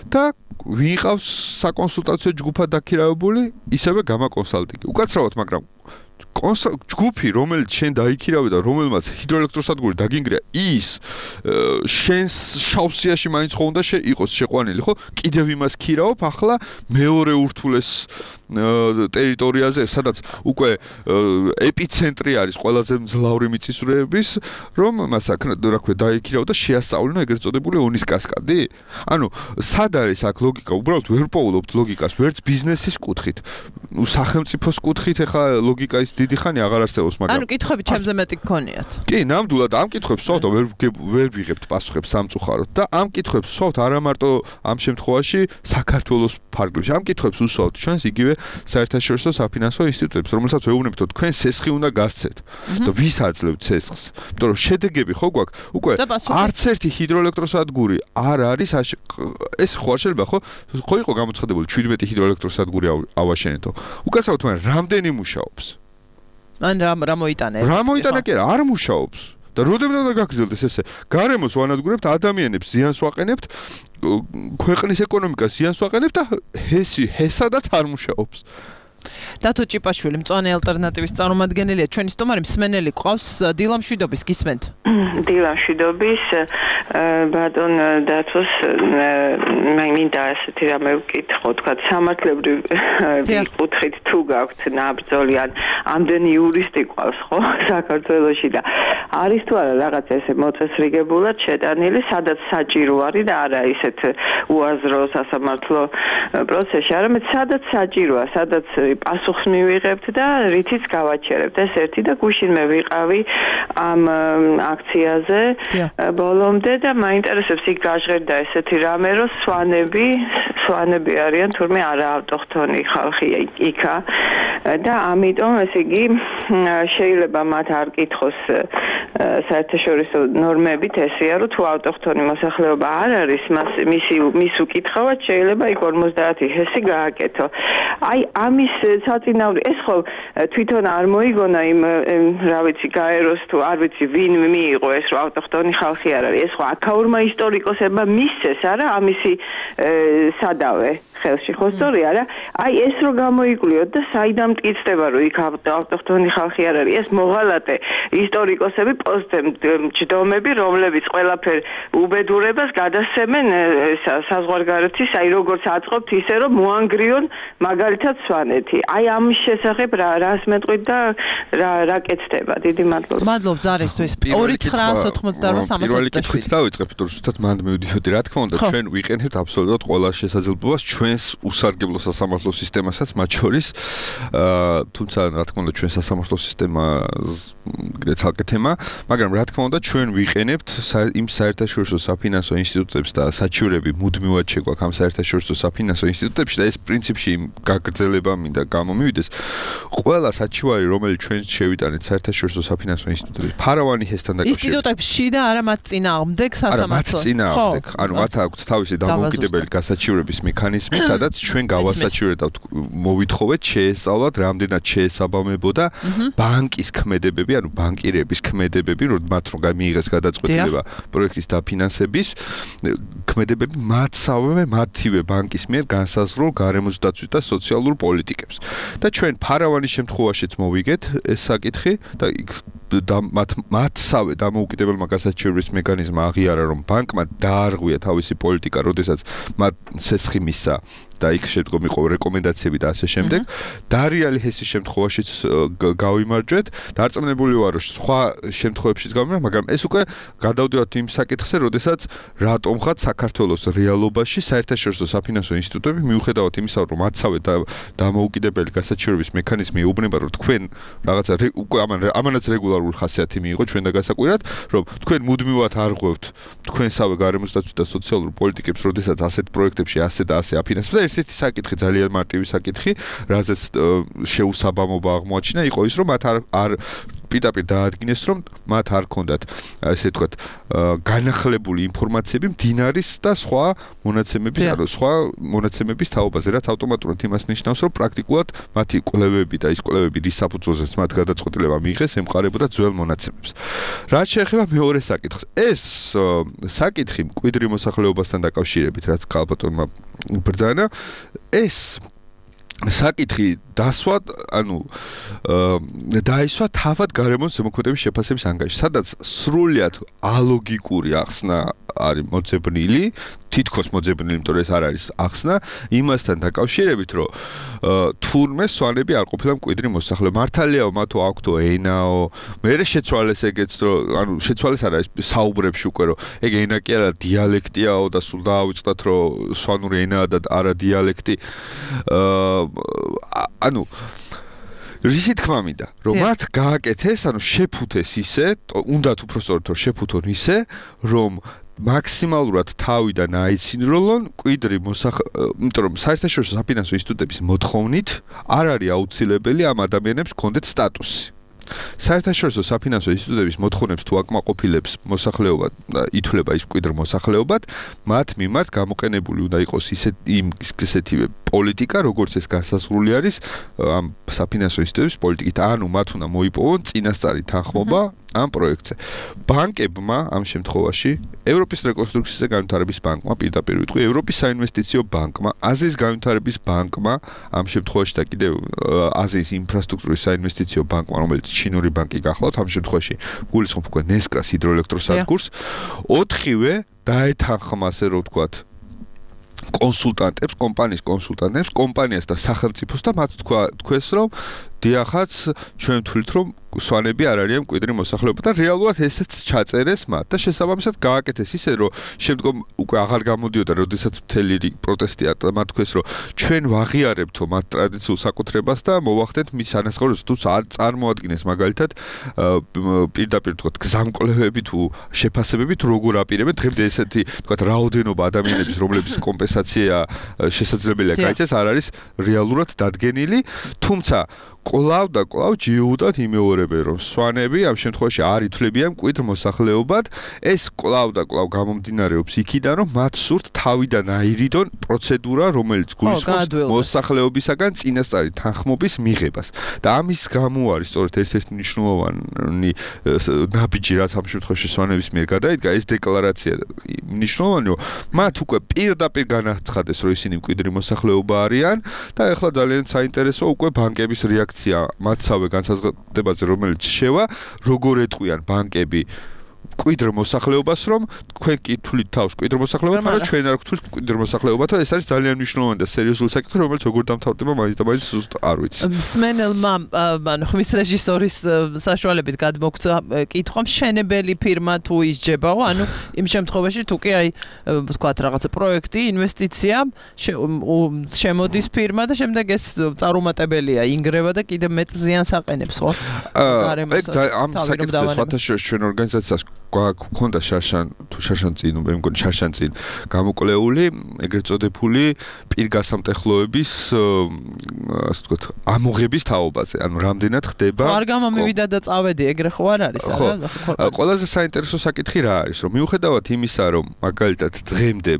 და ვიყავს საკონსულტაციო ჯგუფად დაქირავებული, ისევე გამა კონსალტინგი. უკაცრავად, მაგრამ ჯგუფი, რომელიც შენ დაიქირავე და რომელმაც ჰიდროელექტროსადგური დაგინგრია, ის შენს შავსიაში მაინც ხო უნდა იყოს შეყვანილი, ხო? კიდევ იმას ქირავობ ახლა მეორე ურთულეს ტერიტორიაზე, სადაც უკვე ეპიცენტრი არის ყველაზე მძლავრი მიწისძვრების, რომ მას აქ რა ქვია დაიქირავ და შეასწავლინა ეგრეთ წოდებული ონის კასკადი? ანუ სად არის აქ ლოგიკა? უბრალოდ ვერ პოულობთ ლოგიკას, ვერც ბიზნესის კუთხით. ნუ სახელმწიფოს კუთხით ეხა ლოგიკა ის დიდი ხანი აღარ არსებობს, მაგრამ ანუ კითხვები ჩემზე მეტი გქონიათ. კი, ნამდვილად ამ კითხვებს ვსვავთ და ვერ ვერ ვიღებთ პასუხებს სამწუხაროდ და ამ კითხვებს ვსვავთ არა მარტო ამ შემთხვევაში საქართველოს ფარგლებში. ამ კითხვებს ვსვავთ ჩვენს იგივე საერთაშორისო საფინანსო ინსტიტუტებს, რომელსაც ვეუბნებთ, რომ თქვენ სესხი უნდა გასცეთ და ვის აძლევთ სესხს? იმიტომ რომ შედეგები ხო გვაქვს, უკვე არც ერთი ჰიდროელექტროსადგური არ არის ეს ხო არ შეიძლება ხო? ხო იყო გამოცხადებული შვიდმეტი ჰიდროელექტროსადგური ავაშენეთო. უკაცრავად, მაგრამ რამდენი მუშაობს? ან რა რა მოიტანა? რა მოიტანა კი არა მუშაობს. და როდემდე უნდა გაგრძელდეს ესე? გარემოს ვანადგურებთ, ადამიანებს ზიანს ვაყენებთ, ქვეყნის ეკონომიკას ზიანს ვაყენებთ და ჰესი ჰესადაც არ მუშაობს. დათო ჭიპაშვილი, მწვანე ალტერნატივის წარმომადგენელია, ჩვენი სტუმარი მსმენელი ყავს, დილა მშვიდობის, გისმენთ? დილა მშვიდობის, ბატონ დათოს, მე მინდა ასეთი რამე ვკითხო, თქვა სამართლებრივ კუთხით თუ გაქვთ ნაბრძოლი, ან ამდენი იურისტი ყავს, ხო, საქართველოში და არის თუ არა რაღაც ესე მოწესრიგებულად შეტანილი, სადაც საჭირო არის და არა ისეთ უაზრო სასამართლო პროცესში, არამედ სადაც საჭიროა, სადაც პასუხს მივიღებთ და რითიც გავაჩერებთ. ეს ერთი და გუშინ მე ვიყავი ამ აქციაზე ბოლომდე და მაინტერესებს იქ გაჟღერდა ესეთი რამე, რომ სვანები, სვანები არიან თურმე არა ავტოხთონი ხალხი იქა და ამიტომ ესე იგი შეიძლება მათ არ კითხოს საერთაშორისო ნორმებით ესეა, რომ თუ ავტოქთონი მოსახლეობა არ არის, მას მისი მის უკითხავად შეიძლება იქ ორმოცდაათი ჰესი გააკეთო. აი ამის საწინააღმდეგო ეს ხო თვითონ არ მოიგონა იმ რა ვიცი გაეროს თუ არ ვიცი ვინ მიიღო ეს რომ ავტოქთონი ხალხი არ არის. ეს ხო აქაურმა ისტორიკოსებმა მისცეს არა ამისი სადავე ხელში ხო სწორია რა? აი ეს რო გამოიკვლიოთ და საიდან მტკიცდება რომ იქ ავტოქთონი ხალხი არ არის. ეს მოღალატე ისტორიკოსები ჯდომები რომლებიც ყველაფერ უბედურებას გადასცემენ საზღვარგარეთის აი როგორც აწყობთ ისე რომ მოანგრიონ მაგალითად სვანეთი. აი ამის შესახებ რა რას მეტყვით და რა რა კეთდება. დიდი მადლობა. მადლობ ზარისთვის. ორი ცხრაას ოთხმოცდაოთხ სამას პირველი კითხვით დავიწყებ, თუ ზუსტად მანდ მივდიოდი, რა თქმა უნდა, ჩვენ ვიყენებთ აბსოლუტურად ყველა შესაძლებლობას ჩვენს უსარგებლო სასამართლო სისტემასაც, მათ შორის, თუმცა რა თქმა უნდა, ჩვენ სასამართლო სისტემა ცალკე თემა, მაგრამ რა თქმა უნდა, ჩვენ ვიყენებთ იმ საერთაშორისო საფინანსო ინსტიტუტებს და საჩივრები მუდმივად შეგვაქვს ამ საერთაშორისო საფინანსო ინსტიტუტებში და ეს პრინციპში გაგრძელება მინდა გამომივიდეს. ყველა საჩივარი, რომელიც ჩვენ შევიტანეთ საერთაშორისო საფინანსო ინსტიტუტებში, ფარავანი ჰესთან დაკავშირებით. ინსტიტუტებში და არა მათ წინააღმდეგ სასამართლო. არა, მათ წინააღმდეგ. ანუ მათ აქვთ თავისი დამოუკიდებელი გასაჩივრების მექანიზმი, სადაც ჩვენ გავასაჩივრებთ, მოვითხოვეთ, შეესწავლათ, რამდენად შეესაბამებოდა ბანკის ქმედებები, ანუ ბანკირების ქმედებები, რომ მათ რომ მიიღეს გადაწყვეტილება პროექტის დაფინანსების ქმედებები მათსავე მათივე ბანკის მიერ განსაზღვრულ გარემოსდაცვით და სოციალურ პოლიტიკებს. და ჩვენ ფარავანის შემთხვევაშიც მოვიგეთ ეს საკითხი და და მათ მათსავე დამოუკიდებელმა გასაჩივრების მექანიზმმა აღიარა, რომ ბანკმა დაარღვია თავისი პოლიტიკა, როდესაც მათ ცესხი მისცა და იქ შემდგომ იყო რეკომენდაციები და ასე შემდეგ. დარიალი ჰესის შემთხვევაშიც გავიმარჯვეთ. დარწმუნებული ვარ, რომ სხვა შემთხვევებშიც გავიმარჯვეთ, მაგრამ ეს უკვე გადავდივართ იმ საკითხზე, როდესაც რატომღაც საქართველოს რეალობაში საერთაშორისო საფინანსო ინსტიტუტები მიუხედავად იმისა, რომ მათსავე დამოუკიდებელი გასაჩივრების მექანიზმი ეუბნება, რომ თქვენ რაღაცა უკვე ამანაც რეგულარული ხასიათი მიიღო ჩვენ და გასაკვირად, რომ თქვენ მუდმივად არღვევთ თქვენსავე გარემოსდაცვით და სოციალურ პოლიტიკებს, როდესაც ასეთ პროექტებში ასე და ასე აფინანსებთ. ერთ-ერთი საკითხი ძალიან მარტივი საკითხი, რაზეც შეუსაბამობა აღმოაჩინა, იყო ის, რომ მათ არ არ პირდაპირ დაადგინეს, რომ მათ არ ქონდათ, ესე ვთქვათ, განახლებული ინფორმაციები მდინარის და სხვა მონაცემების, ანუ სხვა მონაცემების თაობაზე, რაც ავტომატურად იმას ნიშნავს, რომ პრაქტიკულად მათი კვლევები და ის კვლევები, რის საფუძველზეც მათ გადაწყვეტილება მიიღეს, ემყარებოდა ძველ მონაცემებს. რაც შეეხება მეორე საკითხს, ეს საკითხი მკვიდრი მოსახლეობასთან დაკავშირებით, რაც ქალბატონმა იბრძანა, ეს საკითხი დასვა, ანუ დაისვა თავად გარემოს ზემოქმედების შეფასების ანგარიში, სადაც სრულიად ალოგიკური ახსნა არის მოძებნილი, თითქოს მოძებნილი, იმიტომ რომ ეს არ არის ახსნა, იმასთან დაკავშირებით, რომ თურმე სვანები არ ყოფილა მკვიდრი მოსახლეობა. მართალიაო, მათო აქვთო ენაო, მერე შეცვალეს ეგეც, რომ ანუ შეცვალეს არა ეს საუბრებში უკვე, რომ ეგ ენა კი არა დიალექტიაო და სულ დაავიწყდათ, რომ სვანური ენაა და არა დიალექტი. ანუ რისი თქმა მინდა, რომ მათ გააკეთეს, ანუ შეფუთეს ისე, უნდათ უпростоროდ რომ შეფუთონ ისე, რომ მაქსიმალურად თავიდან აიცინროლონ მკვიდრი მოსახლეობა, იმიტომ რომ საერთაშორისო საფინანსო ინსტიტუტების მოთხოვნით არ არის აუცილებელი ამ ადამიანებს ჰქონდეთ სტატუსი. საერთაშორისო საფინანსო ინსტიტუტების მოთხოვნებს თუ აკმაყოფილებს მოსახლეობა და ითვლება ის მკვიდრ მოსახლეობად, მათ მიმართ გამოყენებული უნდა იყოს ისეთ იმ ისეთივე პოლიტიკა, როგორც ეს განსაზღვრული არის ამ საფინანსო ინსტიტუტების პოლიტიკით, ანუ მათ უნდა მოიპოვონ წინასწარი თანხმობა ამ პროექტზე. ბანკებმა ამ შემთხვევაში ევროპის რეკონსტრუქციის და განვითარების ბანკმა პირდაპირ ვიტყვი, ევროპის საინვესტიციო ბანკმა, აზიის განვითარების ბანკმა, ამ შემთხვევაში და კიდევ აზიის ინფრასტრუქტურის საინვესტიციო ბანკმა, რომელიც ჩინური ბანკი გახლავთ, ამ შემთხვევაში გულისხმობ უკვე ნესკრას ჰიდროელექტროსადგურს, ოთხივე დაეთანხმა, ასე რომ ვთქვათ, კონსულტანტებს, კომპანიის კონსულტანტებს, კომპანიას და სახელმწიფოს და მათ თქვა თქვეს, რომ დიახაც ჩვენ ვთვლით, რომ სვანები არ არიან მკვიდრი მოსახლეობა და რეალურად ესეც ჩაწერეს მათ და შესაბამისად გააკეთეს ისე, რომ შემდგომ უკვე აღარ გამოდიოდა, როდესაც მთელი პროტესტი და მათ თქვეს, რომ ჩვენ ვაღიარებთო მათ ტრადიციულ საკუთრებას და მოვახდეთ მის ანაზღაურებას, თუ არ წარმოადგენს მაგალითად პირდაპირ თქვათ გზამკვლევები თუ შეფასებები თუ როგორ აპირებენ დღემდე ესეთი თქვათ რაოდენობა ადამიანების, რომლების კომპენსაცია შესაძლებელია გაიცეს, არ არის რეალურად დადგენილი, თუმცა კლავ და კლავ ჯიუდათ იმეორებენ, რომ სვანები ამ შემთხვევაში არ ითვლებიან მკვიდრ მოსახლეობად, ეს კლავ და კლავ გამომდინარეობს იქიდან, რომ მათ სურთ თავიდან აირიდონ პროცედურა, რომელიც გულისხმობს მოსახლეობისაგან წინასწარი თანხმობის მიღებას. და ამის გამო არის სწორედ ერთ-ერთი მნიშვნელოვანი ნაბიჯი, რაც ამ შემთხვევაში სვანების მიერ გადაიდგა, ეს დეკლარაცია მნიშვნელოვანია, რომ მათ უკვე პირდაპირ განაცხადეს, რომ ისინი მკვიდრი მოსახლეობა არიან და ეხლა ძალიან საინტერესოა უკვე ბანკების რეაქცია მათსავე განსაზღვრებაზე, რომელიც შევა, როგორ ეტყვიან ბანკები მკვიდრ მოსახლეობას, რომ თქვენ კი თვლით თავს მკვიდრ მოსახლეობად, მაგრამ ჩვენ არ გვთვლით მკვიდრ მოსახლეობად და ეს არის ძალიან მნიშვნელოვანი და სერიოზული საკითხი, რომელიც როგორ დამთავრდება მაინც და მაინც ზუსტ არ ვიცი. მსმენელმა, ანუ ხმის რეჟისორის საშუალებით გადმოგცა კითხვა, მშენებელი ფირმა თუ ისჯებაო, ანუ იმ შემთხვევაში თუ კი აი ვთქვათ რაღაცა პროექტი, ინვესტიცია შემოდის ფირმა და შემდეგ ეს წარუმატებელია, ინგრევა და კიდევ მეტ ზიანს აყენებს, ხო? ამ საკითხს ვათაშორეს ჩვენ ორგანიზაციას გვქონდა შარშან თუ შარშან წინ, მე მგონი შარშან წინ გამოკვლეული, ეგრეთ წოდებული პირგასამტეხლოების ასე ვთქვათ, ამოღების თაობაზე, ანუ რამდენად ხდება. არ გამომივიდა და წავედი, ეგრე ხო არ არის, არა? ყველაზე საინტერესო საკითხი რა არის, რომ მიუხედავად იმისა, რომ მაგალითად დღემდე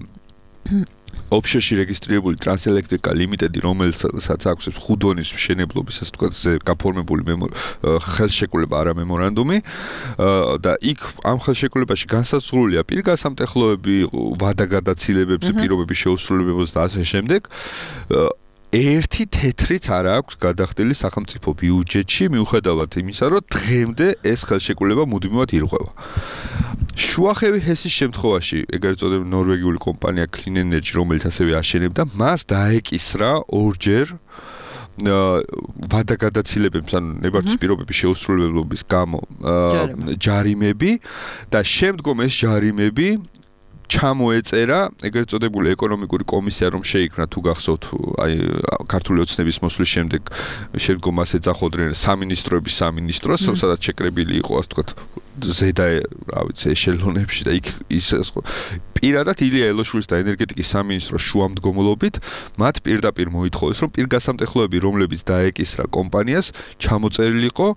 ოფშორში რეგისტრირებული ტრანსელექტრიკა ლიმიტედი, რომელსაც აქვს ხუდონის მშენებლობის, ასე ვთქვათ, გაფორმებული ხელშეკრულება, არა მემორანდუმი და იქ ამ ხელშეკრულებაში განსაზღვრულია პირგასამტეხლოები, ვადაგადაცილებებზე, პირობების შეუსრულებლობაზე და ასე შემდეგ. ერთი თეთრიც არ აქვს გადახდილი სახელმწიფო ბიუჯეტში, მიუხედავად იმისა, რომ დღემდე ეს ხელშეკრულება მუდმივად ირღვევა. შუახევი ჰესის შემთხვევაში, ეგრეთ წოდებული ნორვეგიული კომპანია Clean Energy, რომელიც ასევე აშენებდა, მას დაეკისრა ორჯერ ვადაგადაცილებებს, ანუ ნებართვის პირობების შეუსრულებლობის გამო ჯარიმები და შემდგომ ეს ჯარიმები ჩამოეწერა ეგრეთ წოდებული ეკონომიკური კომისია, რომ შეიქმნა თუ გახსოვთ, აი ქართული ოცნების მოსვლის შემდეგ შემდგომ მას ეძახოდნენ სამინისტროების სამინისტროს, სადაც შეკრებილი იყო, ასე ვთქვათ, ზედა, რა ვიცი, ეშელონებში და იქ ის პირადად ილია ელოშვილის და ენერგეტიკის სამინისტროს შუამდგომლობით მათ პირდაპირ მოითხოვეს, რომ პირგასამტეხლოები, რომლებიც დაეკისრა კომპანიას, ჩამოწერილიყო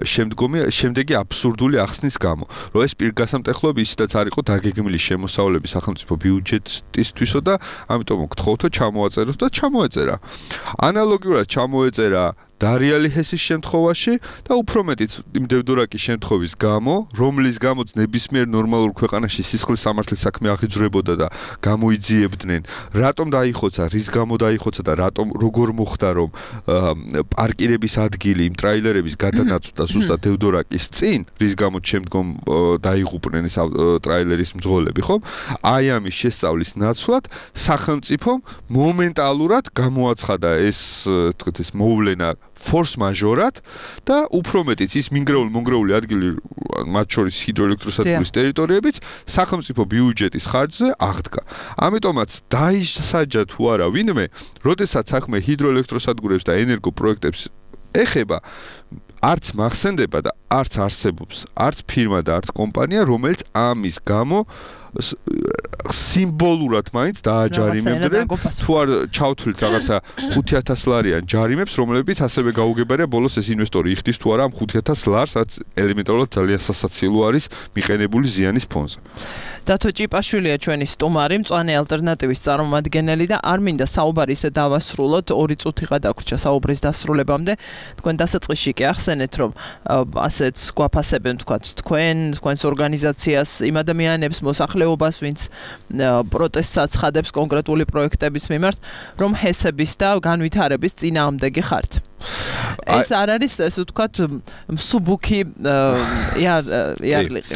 შემდგომი შემდეგი აბსურდული ახსნის გამო, რომ ეს პირგასამტეხლოები ისედაც არ იყო დაგეგმილი შემოსავლები სახელმწიფო ბიუჯეტისთვისო და ამიტომ გთხოვთო ჩამოაწეროთ და ჩამოეწერა. ანალოგიურად ჩამოეწერა დარიალი ჰესის შემთხვევაში და უფრო მეტიც იმ დევდორაკის შემთხვევის გამო, რომლის გამოც ნებისმიერ ნორმალურ ქვეყანაში სისხლის სამართლის საქმე აღიძვრებოდა და გამოიძიებდნენ, რატომ დაიხოცა, რის გამო დაიხოცა და რატომ როგორ მოხდა, რომ პარკირების ადგილი იმ ტრაილერების გადანაცვლა ზუსტად დევდორაკის წინ, რის გამოც შემდგომ დაიღუპნენ ეს ტრაილერის მძღოლები, ხო? აი ამის შესწავლის ნაცვლად სახელმწიფომ მომენტალურად გამოაცხადა ეს, თქოთ, ეს მოვლენა force majeure-ად და უფრო მეტიც ის მინგრეული მონგრეული ადგილი, მათ შორის ჰიდროელექტროსადგურის ტერიტორიებიც სახელმწიფო ბიუჯეტის ხარჯზე აღდგა. ამიტომაც დაისაჯა თუ არა ვინმე, როდესაც საქმე ჰიდროელექტროსადგურებს და ენერგოპროექტებს ეხება, არც მახსენდება და არც არსებობს, არც ფირმა და არც კომპანია, რომელიც ამის გამო სიმბოლურად მაინც დააჯარიმებდნენ, თუ არ ჩავთვლით რაღაცა ხუთი ათას ლარიან ჯარიმებს, რომლებიც ასევე გაუგებარია ბოლოს ეს ინვესტორი იხდის თუ არა ამ ხუთი ათას ლარს, რაც ელემენტარულად ძალიან სასაცილო არის მიყენებული ზიანის ფონზე. დათო ჭიპაშვილია ჩვენი სტუმარი, მწვანე ალტერნატივის წარმომადგენელი და არ მინდა საუბარი ისე დავასრულოთ, ორი წუთიღა დაგვრჩა საუბრის დასრულებამდე. თქვენ დასაწყისში კი ახსენეთ, რომ ასეც გვაფასებენ, თქვათ, თქვენ, თქვენს ორგანიზაციას, იმ ადამიანებს, მოსახლეობას, ვინც პროტესტს აცხადებს კონკრეტული პროექტების მიმართ, რომ ჰესების და განვითარების წინააღმდეგი ხართ. ეს არ არის, ესე ვთქვათ, მსუბუქი იარლიყი.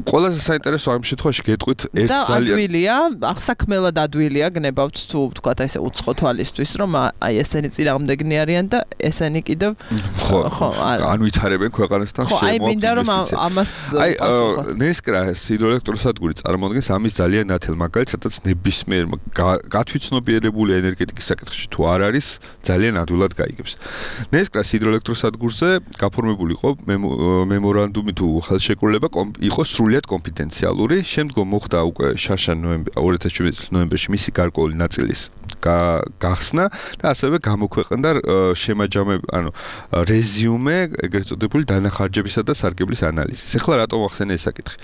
ყველაზე საინტერესო ამ შემთხვევაში გეტყვით ერთ ძალიან ადვილია, ახსაქმელად ადვილია გნებავთ თუ ვთქვათ ესე უცხო თვალისთვის, რომ აი ესენი წინააღმდეგნი არიან და ესენი კიდევ ხო განვითარებენ ქვეყანასთან შემოაქვს ინვესტიცია. ამას აი ნესკრა ჰიდროელექტროსადგური წარმოადგენს ამის ძალიან ნათელ მაგალითს, სადაც ნებისმიერ გათვითცნობიერებული ენერგეტიკის საკითხში თუ არ არის, ძალიან ადვილად გაიგებს. ნესკრას ჰიდროელექტროსადგურზე გაფორმებული იყო მემორანდუმი თუ ხელშეკრულება იყო სრულიად კონფიდენციალური. შემდგომ მოხდა უკვე შარშან ორი ათას შვიდმეტი წლის ნოემბერში მისი გარკვეული ნაწილის გახსნა და ასევე გამოქვეყნდა შემაჯამებ, ანუ რეზიუმე, ეგრეთ წოდებული დანახარჯებისა და სარგებლის ანალიზის. ეხლა რატომ ახსენე ეს საკითხი?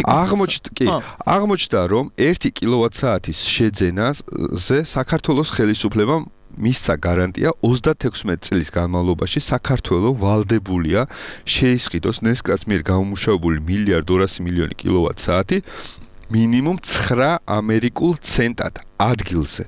აღმოჩნდა, კი, აღმოჩნდა, რომ ერთი კილოვატ-საათის შეძენაზე საქართველოს ხელისუფლებამ მისცა გარანტია ოცდათექვსმეტ წლის განმავლობაში საქართველო ვალდებულია შეისყიდოს ნესკრას მიერ გამომუშავებული მილიარდ ორასი მილიონი კილოვატ-საათი მინიმუმ ცხრა ამერიკულ ცენტად ადგილზე.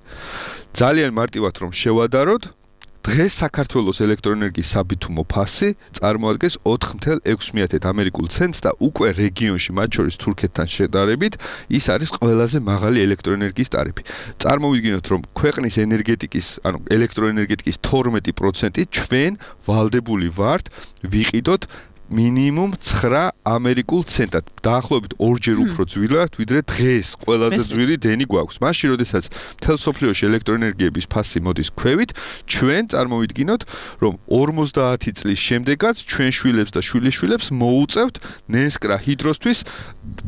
ძალიან მარტივად რომ შევადაროთ, დღეს საქართველოს ელექტროენერგიის საბითუმო ფასი წარმოადგენს ოთხ ათას ექვსი ამერიკულ ცენტს და უკვე რეგიონში, მათ შორის თურქეთთან შედარებით, ის არის ყველაზე მაღალი ელექტროენერგიის ტარიფი. წარმოვიდგინოთ, რომ ქვეყნის ენერგეტიკის, ანუ ელექტროენერგეტიკის თორმეტი პროცენტი ჩვენ ვალდებული ვართ ვიყიდოთ მინიმუმ ცხრა ამერიკულ ცენტად. დაახლოებით ორჯერ უფრო ძვირად, ვიდრე დღეს ყველაზე ძვირი დენი გვაქვს. მაშინ, როდესაც მთელ სოფლიოში ელექტროენერგიების ფასი მოდის ქვევით, ჩვენ წარმოვიდგინოთ, რომ ორმოცდაათი წლის შემდეგაც ჩვენ შვილებს და შვილიშვილებს მოუწევთ ნესკრა ჰიდროსთვის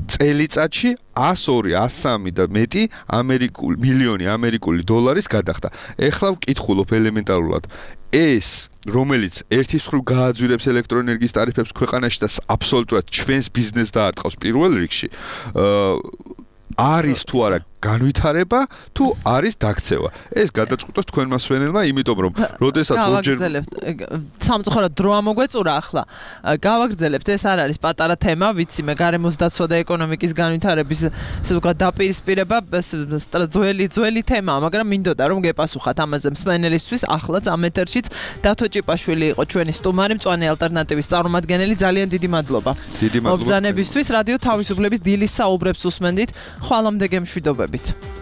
წელიწადში ას ორი, ას სამი და მეტი ამერიკული მილიონი ამერიკული დოლარის გადახდა. ეხლა ვკითხულობ ელემენტარულად ეს რომელიც ერთის მხრივ გააძვირებს ელექტროენერგიის ტარიფებს ქვეყანაში და აბსოლუტურად ჩვენს ბიზნესს დაარტყავს პირველ რიგში, არის თუ არა განვითარება თუ არის დაქცევა. ეს გადაწყვიტოს თქვენ მასვენელმა, იმიტომ რომ როდესაც ორჯერ სამწუხაროდ დრო ამოგვეწურა ახლა. გავაგრძელებთ, ეს არ არის პატარა თემა, ვიცი მე გარემოს დაცვა და ეკონომიკის განვითარების ესე ვთქვათ დაპირისპირება ძველი ძველი თემაა, მაგრამ მინდოდა რომ გეპასუხათ ამაზე მსმენელისთვის. ახლაც ამ ეთერშიც დათო ჭიპაშვილი იყო ჩვენი სტუმარი, მწვანე ალტერნატივის წარმომადგენელი. ძალიან დიდი მადლობა. დიდი მადლობა. მობრძანებისთვის რადიო თავისუფლების დილის საუბრებს უსმენდით. ხვალამდე გემშვიდობებით.